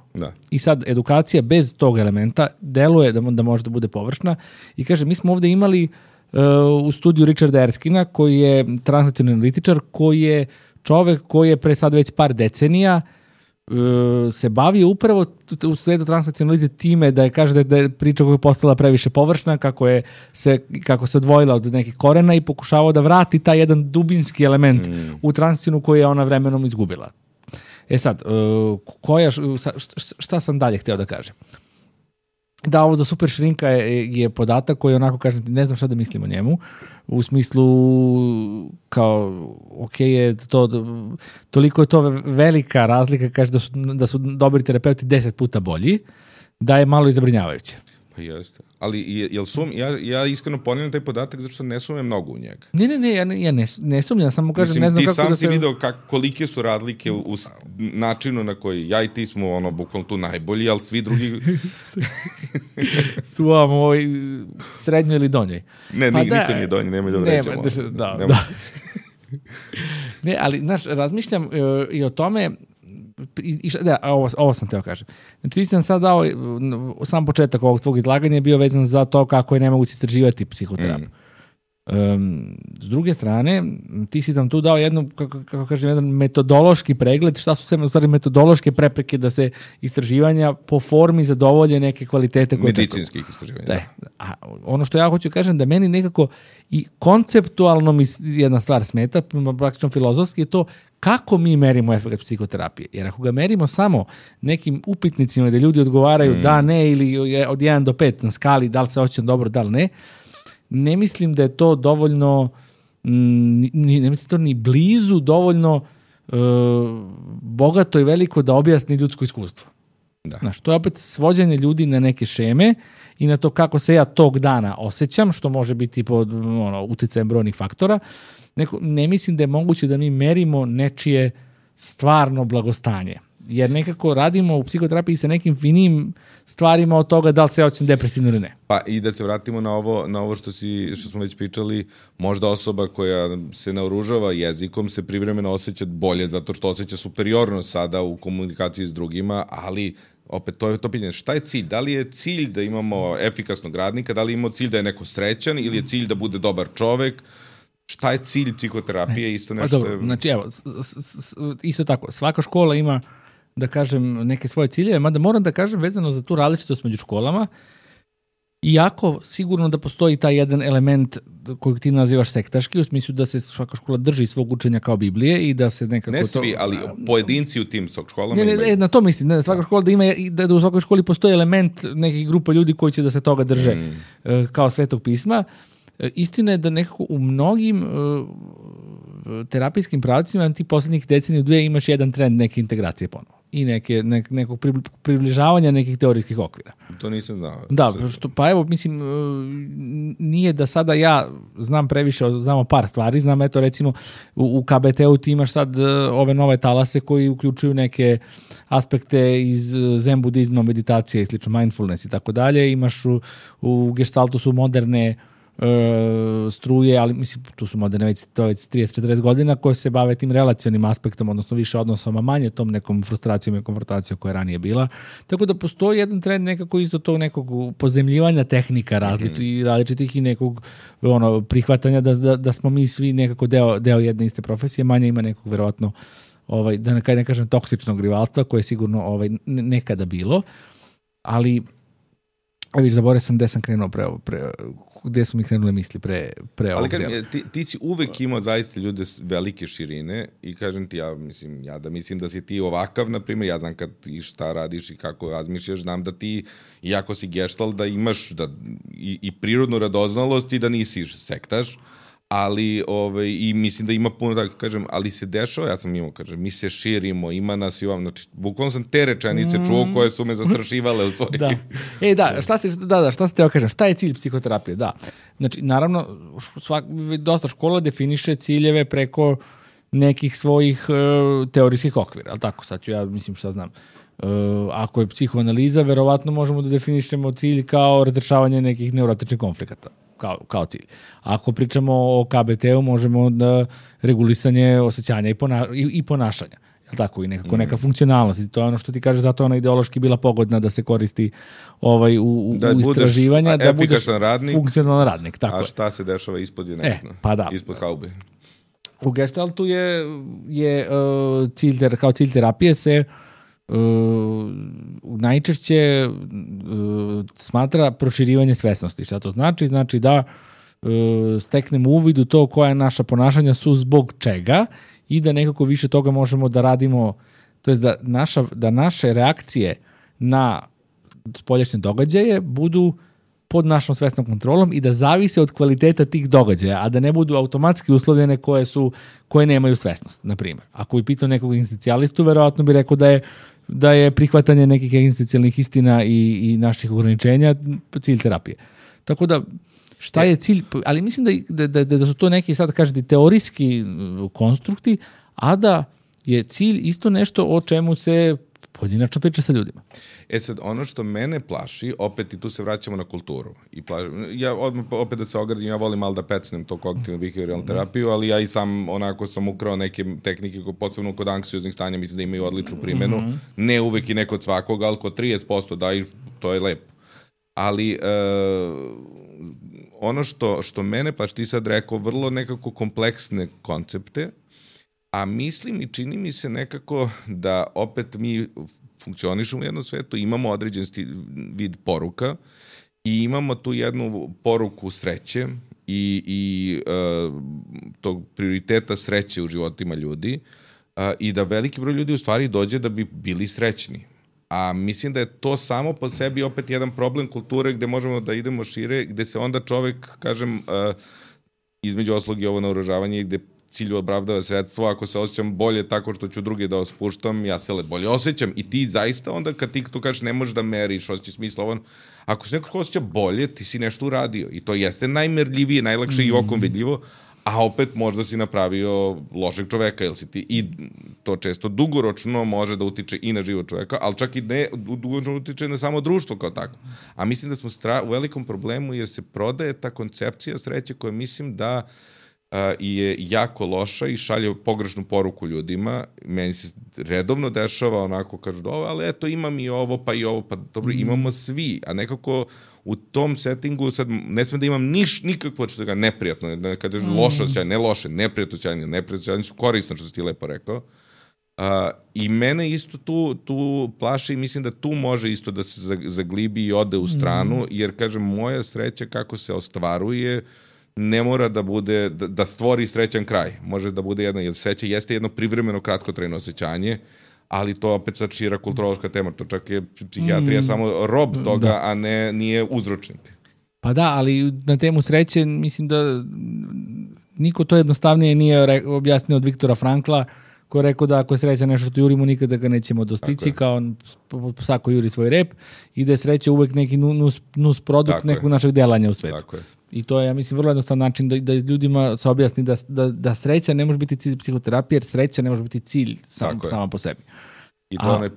I sad, edukacija bez tog elementa deluje da može da bude površna. I kaže, mi smo ovdje imali u studiju Richarda Erskina, koji je transnacionalni analitičar, koji je čovek koji je pre sad već par decenija se bavio upravo u svetu transnacionalize time da je kaže da je priča koja je postala previše površna, kako se odvojila od nekih korena i pokušavao da vrati taj jedan dubinski element u transnacionalnu koju je ona vremenom izgubila. Sad, šta sam dalje hteo da kažem? Da, ovo za super šrinka je podatak koji onako kažem, ne znam šta da mislim o njemu, u smislu kao, ok, je to, toliko je to velika razlika, kaže da su dobri terapeuti 10 puta bolji, da je malo izabrinjavajuće. Pa jeste. Ali ja iskreno ponavljam taj podatak zato što ne sumnjam mnogo u njega. Ne, ja ne sumnjam, samo kažem, ne znam kako da se... Ti sam si video kolike su razlike u načinu na koji ja i ti smo bukvalno tu najbolji, ali svi drugi... su srednjoj ili donjoj. Ne, niko nije donji, nemoj da vređamo. Da. Ne, ali, znaš, razmišljam i o tome... ovo sam teo kažem. Znači, ti sam sad dao, sam početak ovog tvog izlaganja je bio vezan za to kako je nemoguće istraživati psihoterapiju. S druge strane, ti si tam tu dao kako kažem, jedan metodološki pregled, šta su sve u stvari metodološke prepreke da se istraživanja po formi zadovolje neke kvalitete koje medicinskih istraživanja. A ono što ja hoću kažem da meni nekako i konceptualno mi jedna stvar smeta, praktično filozofski je to kako mi merimo efekt psihoterapije. Jer ako ga merimo samo nekim upitnicima gde ljudi odgovaraju da, ne ili od 1 do 5 na skali da li se osjećam dobro, da li ne, ne mislim da je to dovoljno, ne mislim to ni blizu dovoljno bogato i veliko da objasni ljudsko iskustvo. Znaš, to je opet svođenje ljudi na neke šeme i na to kako se ja tog dana osjećam, što može biti pod uticajem brojnih faktora. Ne mislim da je moguće da mi merimo nečije stvarno blagostanje. Jer nekako radimo u psihoterapiji sa nekim finim stvarima od toga da li se osjećam depresivno ili ne. Pa i da se vratimo na ovo što smo već pričali, možda osoba koja se naoružava jezikom se privremeno osjeća bolje zato što osjeća superiornost sada u komunikaciji s drugima, ali opet to je to pitanje. Šta je cilj? Da li je cilj da imamo efikasnog radnika, da li imamo cilj da je neko srećan ili je cilj da bude dobar čovek? šta je cilj psihoterapije, isto nešto... Dobro, znači evo, isto tako, svaka škola ima, da kažem, neke svoje ciljeve, mada moram da kažem vezano za tu različitost među školama, iako sigurno da postoji taj jedan element kojeg ti nazivaš sektaški, u smislu da se svaka škola drži svog učenja kao Biblije i da se nekako... Ne svi, ali pojedinci u tim školama imaju. Na to mislim, svaka škola da u svakoj školi postoji element nekih grupa ljudi koji će da se toga drže kao Svetog pisma. Istina je da nekako u mnogim terapijskim pravcima ti poslednjih deceniju dve imaš jedan trend neke integracije ponovo i nekog približavanja nekih teorijskih okvira. To nisam znao. Da, pa evo, mislim, nije da sada ja znam previše, znamo par stvari, znam eto recimo u KBT-u ti imaš sad ove nove talase koji uključuju neke aspekte iz zen budizma, meditacije i slično, mindfulness i tako dalje, imaš u Gestaltu su moderne struje, ali mislim tu su moderne već 30-40 godina koje se bave tim relacionim aspektom, odnosno više odnosom, a manje tom nekom frustracijom i konfrontacijom koja je ranije bila. Tako da postoji jedan trend nekako isto tog nekog pozemljivanja tehnika različitih i nekog prihvatanja da smo mi svi nekako deo jedne iste profesije, manje ima nekog verovatno da ne kažem toksičnog rivalstva koje je sigurno nekada bilo, ali viš, zaboravio sam gde sam krenuo gde su mi krenule misli pre ovog dela. Ali ti si uvek imao zaista ljude velike širine i kažem ti, ja mislim da si ti ovakav, na primjer, ja znam kad i šta radiš i kako razmišljaš, znam da ti, iako si Gestalt, da imaš i prirodnu radoznalost i da nisi sektaš, ali i mislim da ima puno tako, kažem, ali se dešava, ja sam imao, kažem, mi se širimo, ima nas i ovam, znači, bukvalno sam te rečenice čuo koje su me zastrašivale u svojih. Da. Šta se teo kažem, šta je cilj psihoterapije? Da, znači, naravno, dosta škola definiše ciljeve preko nekih svojih teorijskih okvira, ali tako, sad ću ja, mislim, šta znam, ako je psihoanaliza, verovatno možemo da definišemo cilj kao razrešavanje nekih neurotičnih konflikata. Kao cilj. Ako pričamo o KBT-u, možemo da regulisanje osjećanja i ponašanja. Je tako? I nekako neka funkcionalnost. I to je ono što ti kaže, zato ona ideološki bila pogodna da se koristi u istraživanja. Da budeš funkcionalan radnik. Tako a šta se dešava ispod je nekako? Ispod haube. U Gestaltu je kao cilj terapije se najčešće smatra proširivanje svesnosti. Šta to znači? Znači da steknemo uvid u to koja naša ponašanja su zbog čega i da nekako više toga možemo da radimo, to jest da naše reakcije na spoljašnje događaje budu pod našom svesnom kontrolom i da zavise od kvaliteta tih događaja, a da ne budu automatski uslovljene koje nemaju svesnost, na primjer. Ako bi pitao nekog egzistencijalistu, verovatno bi rekao da je prihvatanje nekih egzistencijalnih istina i naših ograničenja cilj terapije. Tako da, šta je cilj? Ali mislim da su to neki, sad kažete, teorijski konstrukti, a da je cilj isto nešto o čemu se pojedinačno priča sa ljudima. Sad, ono što mene plaši, opet i tu se vraćamo na kulturu. Ja opet da se ogradim, ja volim malo da pecnem to kognitivno behavioralnu terapiju, ali ja i sam onako sam ukrao neke tehnike, posebno kod anksioznih stanja, mislim da imaju odličnu primjenu. Ne uvek i neko od svakog, ali kod 30% daju, to je lepo. Ali ono što mene plaši, ti sad rekao, vrlo nekako kompleksne koncepte, a mislim i čini mi se nekako da opet mi funkcionišemo u jednom svetu, imamo određen vid poruka i imamo tu jednu poruku sreće i tog prioriteta sreće u životima ljudi i da veliki broj ljudi u stvari dođe da bi bili srećni. A mislim da je to samo po sebi opet jedan problem kulture gde možemo da idemo šire, gde se onda čovek, kažem, između oslog i ovo naoružavanje, gde cilju opravdava sredstvo, ako se osjećam bolje tako što ću druge da ospuštam, ja se bolje osjećam i ti zaista onda kad ti tu kažeš ne možeš da meriš, osjećaš smisla, ako se neko osjeća bolje, ti si nešto uradio i to jeste najmerljivije, najlakše i okom vidljivo, a opet možda si napravio lošeg čoveka, jel si ti, i to često dugoročno može da utiče i na život čoveka, ali čak i ne dugoročno utiče na samo društvo kao tako. A mislim da smo u velikom problemu jer se prodaje ta koncepcija sreće koja mislim da i je jako loša i šalje pogrešnu poruku ljudima. Meni se redovno dešava onako, kažu da ali eto imam i ovo, pa dobro, imamo svi, a nekako u tom settingu sad ne smem da imam nikakvo što ga neprijatno, kada je loše osjećanje, ne loše, neprijatno osjećanje su korisno, što si ti lepo rekao. I mene isto tu plaši i mislim da tu može isto da se zaglibi i ode u stranu, jer kažem, moja sreća kako se ostvaruje ne mora da bude, da stvori srećan kraj. Može da bude jedno, jer sreća jeste jedno privremeno kratkotrajno osjećanje, ali to opet sad šira kulturološka tema, to čak je psihijatrija samo rob toga, a nije uzročnik. Pa da, ali na temu sreće mislim da niko to jednostavnije nije objasnio od Viktora Frankla, ko je rekao da ako je sreća nešto što jurimo, nikada ga nećemo dostići, kao on svako juri svoj rep, i da je sreća uvek neki nus produkt nekog našeg delanja u svetu. Tako je. I to je, ja mislim, vrlo jednostavan način da ljudima se objasni da sreća ne može biti cilj psihoterapije, jer sreća ne može biti cilj sama po sebi. I to je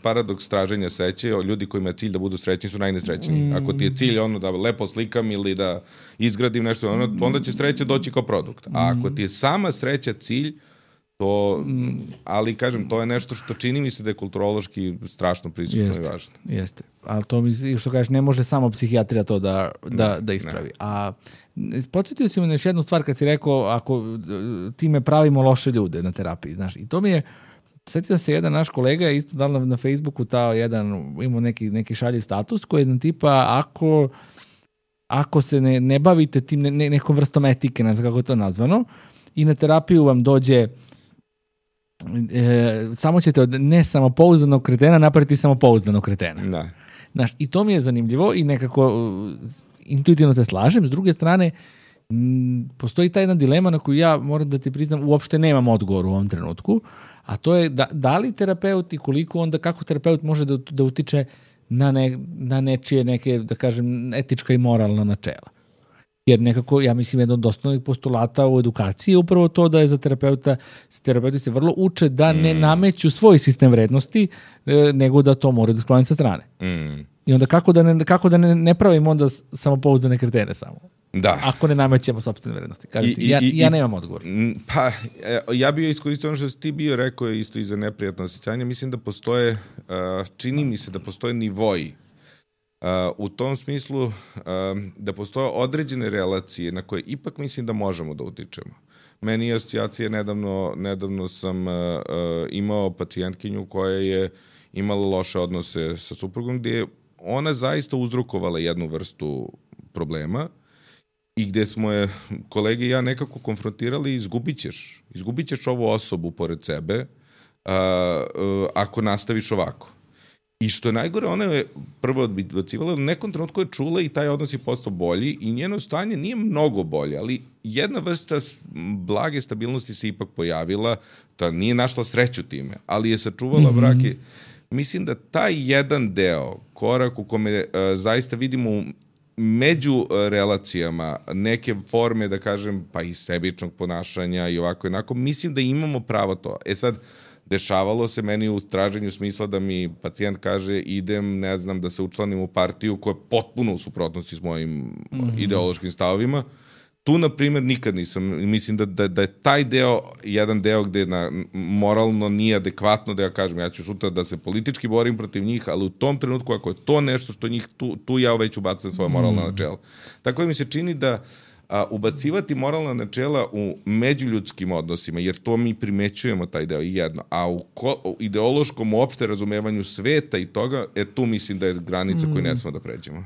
paradoks traženja sreće. Ljudi kojima je cilj da budu srećni su najnesrećniji. Ako ti je cilj da lepo slikam ili da izgradim nešto, onda će sreća doći kao produkt. A ako ti je sama sreća cilj, to, ali kažem, to je nešto što čini mi se da je kulturološki strašno prisutno i važno. Jeste, ali to mi, što kažeš, ne može samo psihijatrija to da ispravi. Ne. A podsjetio si mi na još jednu stvar kad si rekao, ako time pravimo loše ljude na terapiji, znaš, i to mi je, sjetio se jedan naš kolega je isto dal na Facebooku imao neki šaljiv status koji je jedan tipa, ako se ne bavite tim nekom vrstom etike, ne znam kako je to nazvano, i na terapiju vam dođe samo ćete od nesamopouzdanog kretena napraviti samopouzdanog kretena. Da. Znaš, i to mi je zanimljivo i nekako intuitivno te slažem. S druge strane, postoji ta jedna dilema na koju ja moram da ti priznam, uopšte nemam odgovor u ovom trenutku, a to je da li terapeut i koliko onda, kako terapeut može da utiče na nečije neke, da kažem, etička i moralna načela. Jer nekako, ja mislim, jedno od osnovnih postulata u edukaciji je upravo to da je za terapeuti se vrlo uče da ne nameću svoj sistem vrednosti, nego da to moraju da sklone sa strane. I onda kako da ne pravimo onda samopouzdane kretene samo? Da. Ako ne namećemo sopstvene vrednosti. Kažete, ja nemam odgovor. Pa, ja bih iskoristio ono što si ti bio rekao isto i za neprijatno osjećanje. Mislim da postoje, čini mi se da postoje nivoji. U tom smislu da postoje određene relacije na koje ipak mislim da možemo da utičemo. Meni je asocijacija, nedavno sam imao pacijentkinju koja je imala loše odnose sa suprugom, gdje je ona zaista uzrokovala jednu vrstu problema i gdje smo je kolege i ja nekako konfrontirali, izgubit ćeš ovu osobu pored sebe ako nastaviš ovako. I što je najgore, ona je prvo odbacivala, u nekom trenutku je čula i taj odnos je postao bolji i njeno stanje nije mnogo bolje, ali jedna vrsta blage stabilnosti se ipak pojavila, to nije našla sreću time, ali je sačuvala brak. Mislim da taj jedan deo, korak u kome zaista vidimo među relacijama neke forme, da kažem, pa i sebičnog ponašanja i ovako jednako, mislim da imamo pravo to. Sad, dešavalo se meni u traženju smisla da mi pacijent kaže idem, ne znam, da se učlanim u partiju koja je potpuno u suprotnosti s mojim ideološkim stavovima. Tu, na primjer, nikad nisam. Mislim da je taj deo, jedan deo gde moralno nije adekvatno da ja kažem, ja ću sutra da se politički borim protiv njih, ali u tom trenutku, ako je to nešto što njih, tu ja već ubacam svoje moralna načela. Tako da mi se čini da ubacivati moralna načela u međuljudskim odnosima, jer to mi primećujemo taj deo i jedno, a u ideološkom uopšte razumevanju sveta i toga, tu mislim da je granica koju ne smemo da pređemo.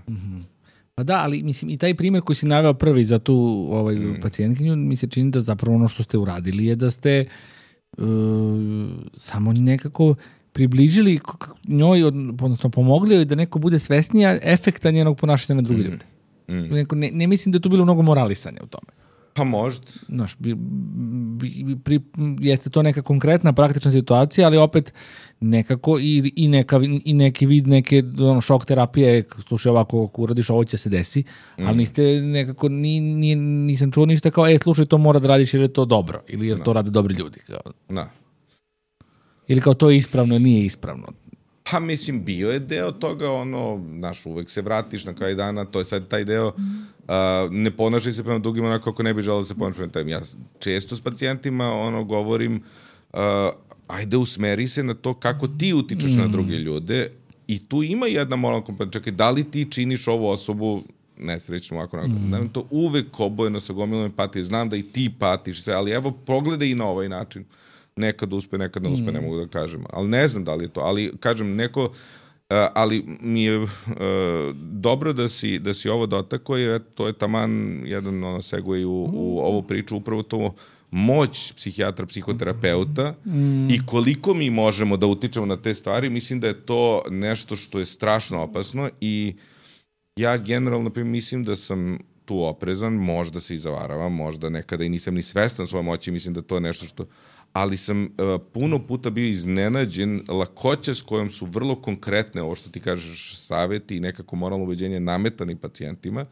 Pa da, ali mislim i taj primjer koji si naveo prvi za tu pacijentkinju, mi se čini da zapravo ono što ste uradili je da ste samo nekako približili njoj, odnosno pomogli joj da neko bude svesnija efekta njenog ponašanja na druge ljude. Ne mislim da je to bilo mnogo moralisanja u tome. Pa možda. Znaš, jeste to neka konkretna, praktična situacija, ali opet nekako i neki vid neke šok terapije, slušaj ovako, ako uradiš ovo će se desi, ali niste nekako, nisam čuo ništa kao, slušaj, to mora da radiš jer je to dobro, ili jer to rade dobri ljudi. Kao. Da. Ili kao to je ispravno ili nije ispravno. Pa mislim, bio je deo toga, uvek se vratiš na kraj dana, to je sad taj deo, ne ponašaj se prema drugima onako kako ne bi želeo da se ponašaj prema tebi. Ja često s pacijentima govorim, ajde usmeri se na to kako ti utičeš na druge ljude i tu ima jedna moralna komponenta, čekaj, da li ti činiš ovu osobu nesrećno ovako. Znam to uvek obojeno sa gomilom empatije, znam da i ti patiš sve, ali evo, progledaj i na ovaj način. Nekad uspe, nekad ne uspe, ne mogu da kažem. Ali ne znam da li je to. Ali, kažem, ali mi je dobro da si ovo dotakao, jer to je taman jedan segway u ovu priču, upravo to moć psihijatra, psihoterapeuta i koliko mi možemo da utičemo na te stvari, mislim da je to nešto što je strašno opasno i ja generalno mislim da sam tu oprezan, možda se i zavaravam, možda nekada i nisam ni svestan svoje moći, mislim da to je nešto što... Ali sam puno puta bio iznenađen lakoća s kojom su vrlo konkretne, ovo što ti kažeš, saveti i nekako moralno ubeđenje nametani pacijentima,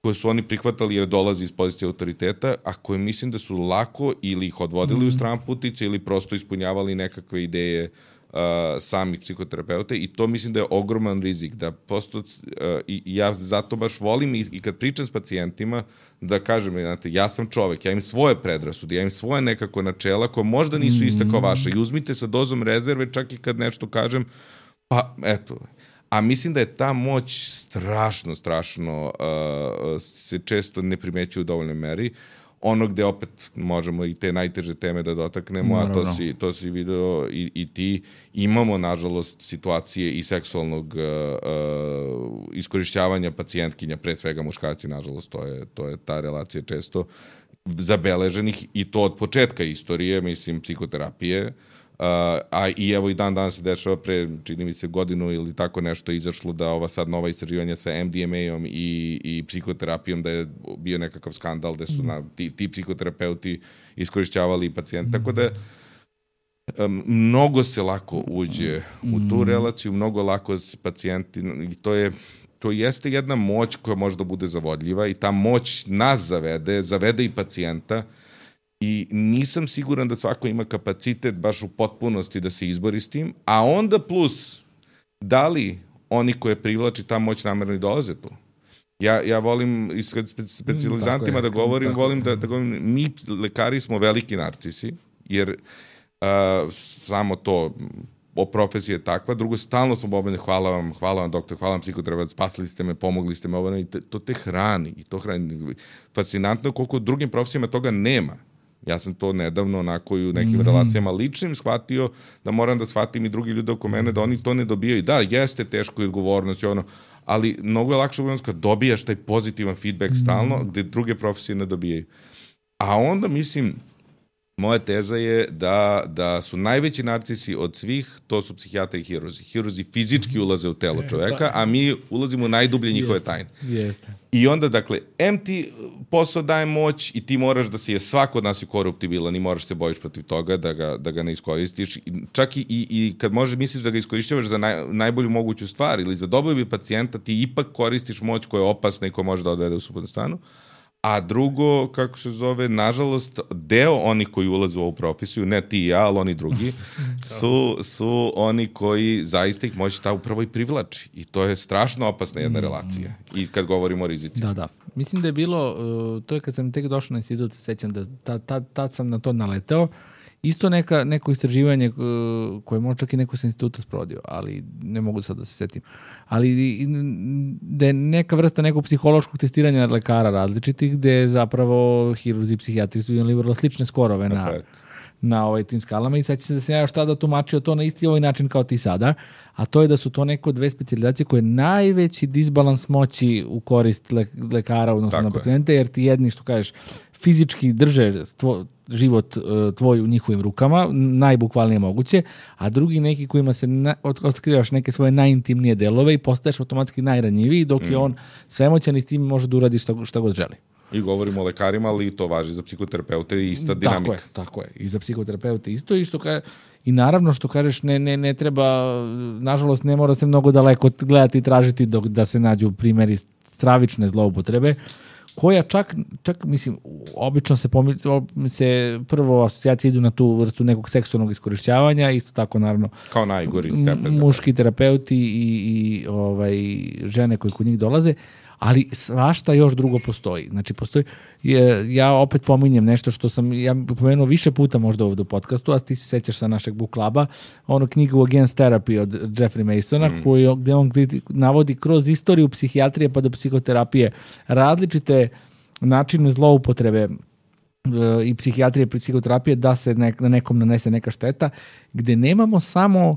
koje su oni prihvatali jer dolazi iz pozicije autoriteta, a koje mislim da su lako ili ih odvodili u stran putice ili prosto ispunjavali nekakve ideje samih psihoterapeuta i to mislim da je ogroman rizik, da prosto i ja zato baš volim i kad pričam s pacijentima da kažem, znate, ja sam čovek, ja imam svoje predrasude, ja imam svoje nekako načela koje možda nisu iste kao vaše i uzmite sa dozom rezerve čak i kad nešto kažem, pa eto. A mislim da je ta moć strašno se često ne primećuje u dovoljnoj meri. Ono gde opet možemo i te najteže teme da dotaknemo, a to si video i ti, imamo nažalost situacije i seksualnog iskorišćavanja pacijentkinja, pre svega muškarci, nažalost, to je ta relacija često zabeleženih i to od početka istorije, mislim, psihoterapije, a i evo i dan danas se dešava pre, čini mi se, godinu ili tako nešto izašlo da ova sad nova istraživanja sa MDMA-om i psihoterapijom da je bio nekakav skandal da su ti psihoterapeuti iskorišćavali pacijenta. Tako da mnogo se lako uđe u tu relaciju, mnogo lako s pacijenti i to jeste jedna moć koja može da bude zavodljiva i ta moć nas zavede i pacijenta. I nisam siguran da svako ima kapacitet baš u potpunosti da se izbori s tim, a onda plus, da li oni koje privlači ta moć namerno i dolaze tu? Ja volim, s specijalizantima da govorim, volim da govorim, mi lekari smo veliki narcisi, jer samo to profesija je takva, drugo, stalno smo obavljeni, hvala vam doktor, hvala vam psihoterapeut, spasili ste me, pomogli ste me, i to te hrani, fascinantno je koliko u drugim profesijama toga nema. Ja sam to nedavno onako i u nekim relacijama ličnim shvatio da moram da shvatim i drugi ljudi oko mene da oni to ne dobijaju. Da, jeste teško i odgovornost, ali mnogo je lakše kad dobijaš taj pozitivan feedback stalno gde druge profesije ne dobijaju. A onda mislim, moja teza je da su najveći narcisi od svih, to su psihijatri i hiruzi. Hiruzi fizički ulaze u telo čoveka, a mi ulazimo u najdublje njihove tajne. I onda, dakle, ti posao daje moć i ti moraš da si svako od nas je koruptibilan i moraš se bojiš protiv toga da ga ne iskoristiš. Čak i kad misliš da ga iskorišćavaš za najbolju moguću stvar ili za dobrobit pacijenta, ti ipak koristiš moć koja je opasna i koja može da odvede u suprotnu stranu. A drugo, kako se zove, nažalost, deo oni koji ulaze u ovu profesiju, ne ti i ja, ali oni drugi, su oni koji zaista ih moći ta upravo i privlači. I to je strašno opasna jedna relacija. I kad govorimo o rizici. Da. Mislim da je bilo, to je kad sam tek došao na institut, sećam da tad sam na to naletao. Isto neko istraživanje koje možda čak i neko sa instituta sprovodio, ali ne mogu sad da se setim. Ali da je neka vrsta nekog psihološkog testiranja lekara različitih, gde zapravo hirurzi i psihijatri su imali vrlo slične skorove na tim skalama i sad će se da sam ja još tada tumačio to na isti ovaj način kao ti sada, a to je da su to neko dve specijalizacije koje je najveći disbalans moći u korist lekara odnosno na pacijente, jer ti jedni, što kažeš, fizički drže život tvoj u njihovim rukama, najbukvalnije moguće, a drugi neki kojima se otkrivaš neke svoje najintimnije delove i postaješ automatski najranjiviji, dok je on svemoćan i s tim može da uradi šta god želi. I govorimo o lekarima, ali to važi za psihoterapeute i ista dinamika. Tako je. I za psihoterapeute isto. I naravno što kažeš, ne treba, nažalost ne mora se mnogo daleko gledati i tražiti da se nađu primjeri stravične zloupotrebe koja čak mislim, obično se prvo asocijacije idu na tu vrstu nekog seksualnog iskorišćavanja, isto tako naravno kao najgori stepen. Muški terapeuti i žene koji kod njih dolaze, ali svašta još drugo postoji. Znači, ja opet pominjem nešto što sam ja pomenuo više puta možda ovdje u podcastu, a ti se sećaš sa našeg book kluba, ono knjigu Against Therapy od Jeffrey Masona, gde on navodi kroz istoriju psihijatrije pa do psihoterapije različite načine zloupotrebe i psihijatrije i psihoterapije da se na nekom nanese neka šteta, gde nemamo samo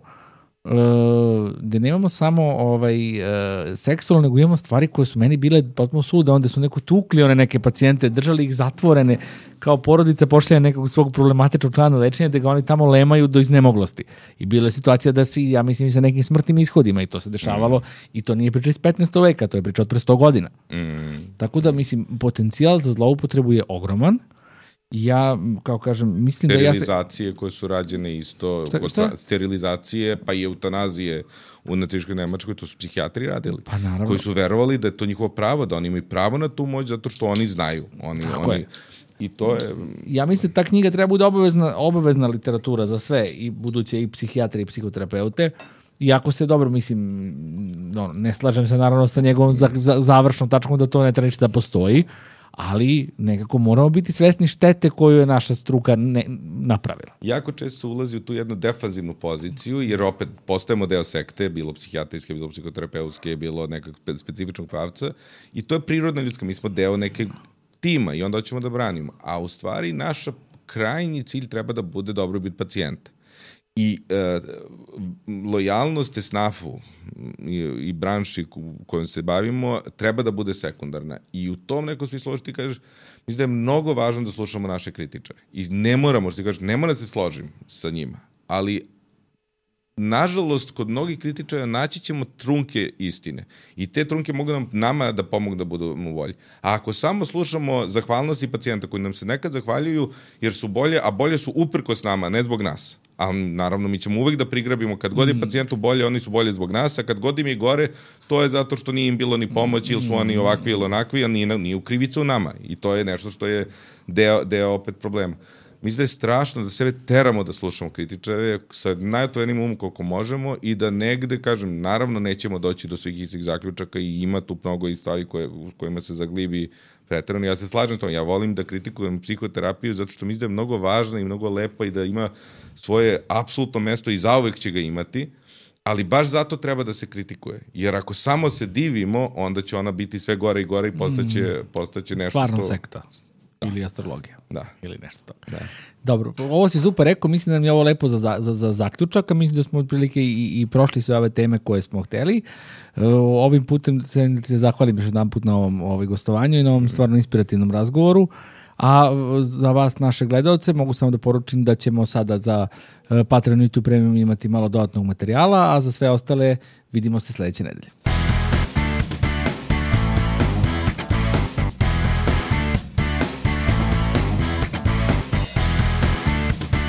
seksualno, nego imamo stvari koje su meni bile potpuno sulude, onda su neko tukli one neke pacijente, držali ih zatvorene, kao porodica pošalja nekog svog problematičnog člana lečenja, da ga oni tamo lemaju do iznemoglosti. I bila je situacija da si, ja mislim, sa nekim smrtnim ishodima i to se dešavalo i to nije priča iz 15. veka, to je priča od pre 100 godina. Tako da, mislim, potencijal za zloupotrebu je ogroman. Ja, kao kažem, mislim da sterilizacije koje su rađene isto, sterilizacije, pa i eutanazije u nacističkoj Nemačkoj, to su psihijatri radili. Pa naravno. Koji su verovali da je to njihovo pravo, da oni imaju pravo na tu moć, zato što oni znaju. I to je... Ja mislim da ta knjiga treba bude obavezna literatura za sve, i buduće i psihijatre i psihoterapeute. Iako se dobro, mislim, ne slažem se naravno sa njegovom završnom tačkom da to ne treba ništa da postoji, ali nekako moramo biti svesni štete koju je naša struka napravila. Jako često se ulazi u tu jednu defanzivnu poziciju, jer opet postajemo deo sekte, bilo psihijatrijske, bilo psihoterapeutske, bilo nekog specifičnog pravca, i to je prirodna ljudska, mi smo deo nekog tima i onda ćemo da branimo. A u stvari naša krajnji cilj treba da bude dobrobit pacijenta. I lojalnost SNAF-u i branši kojom se bavimo treba da bude sekundarna. I u tom nekom smislu ti kažeš, mislim da je mnogo važno da slušamo naše kritičare. I ne moramo, što ti kažeš, ne mora da se složim sa njima. Ali, nažalost, kod mnogih kritičara naći ćemo trunke istine. I te trunke mogu nama da pomogu da budemo bolji. A ako samo slušamo zahvalnosti pacijenta koji nam se nekad zahvaljuju jer su bolje, a bolje su uprkos nama, ne zbog nas. A naravno mi ćemo uvek da prigrabimo, kad god je pacijentu bolje, oni su bolje zbog nas, a kad god im je gore, to je zato što nije im bilo ni pomoći, ili su oni ovakvi ili onakvi, a nije u krivicu nama. I to je nešto što je deo opet problema. Mislim da je strašno da sebe teramo da slušamo kritičare sa najotvorenim umom koliko možemo i da negde, kažem, naravno nećemo doći do svih istih zaključaka i ima tu mnogo i stvari kojima se zaglibi preterano. Ja se slažem s tom, ja volim da kritikujem psihoterapiju zato što mislim da je mnogo važna i mnogo lepa i da ima svoje apsolutno mesto i zauvek će ga imati, ali baš zato treba da se kritikuje. Jer ako samo se divimo, onda će ona biti sve gore i gore i postaće nešto stvarno sekta. Ili astrologija. Da. Ili nešto to. Da. Dobro, ovo si super rekao, mislim da nam je ovo lepo za zaključak, a mislim da smo otprilike i prošli sve ove teme koje smo hteli. Ovim putem se zahvalim još jedan put na ovom gostovanju i na ovom stvarno inspirativnom razgovoru. A za vas, naše gledalce, mogu samo da poručim da ćemo sada za Patreon YouTube Premium imati malo dodatnog materijala, a za sve ostale vidimo se sledeće nedelje.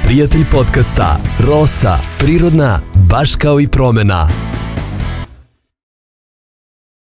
Prijatelj podcasta Rosa, prirodna, baš kao i promena.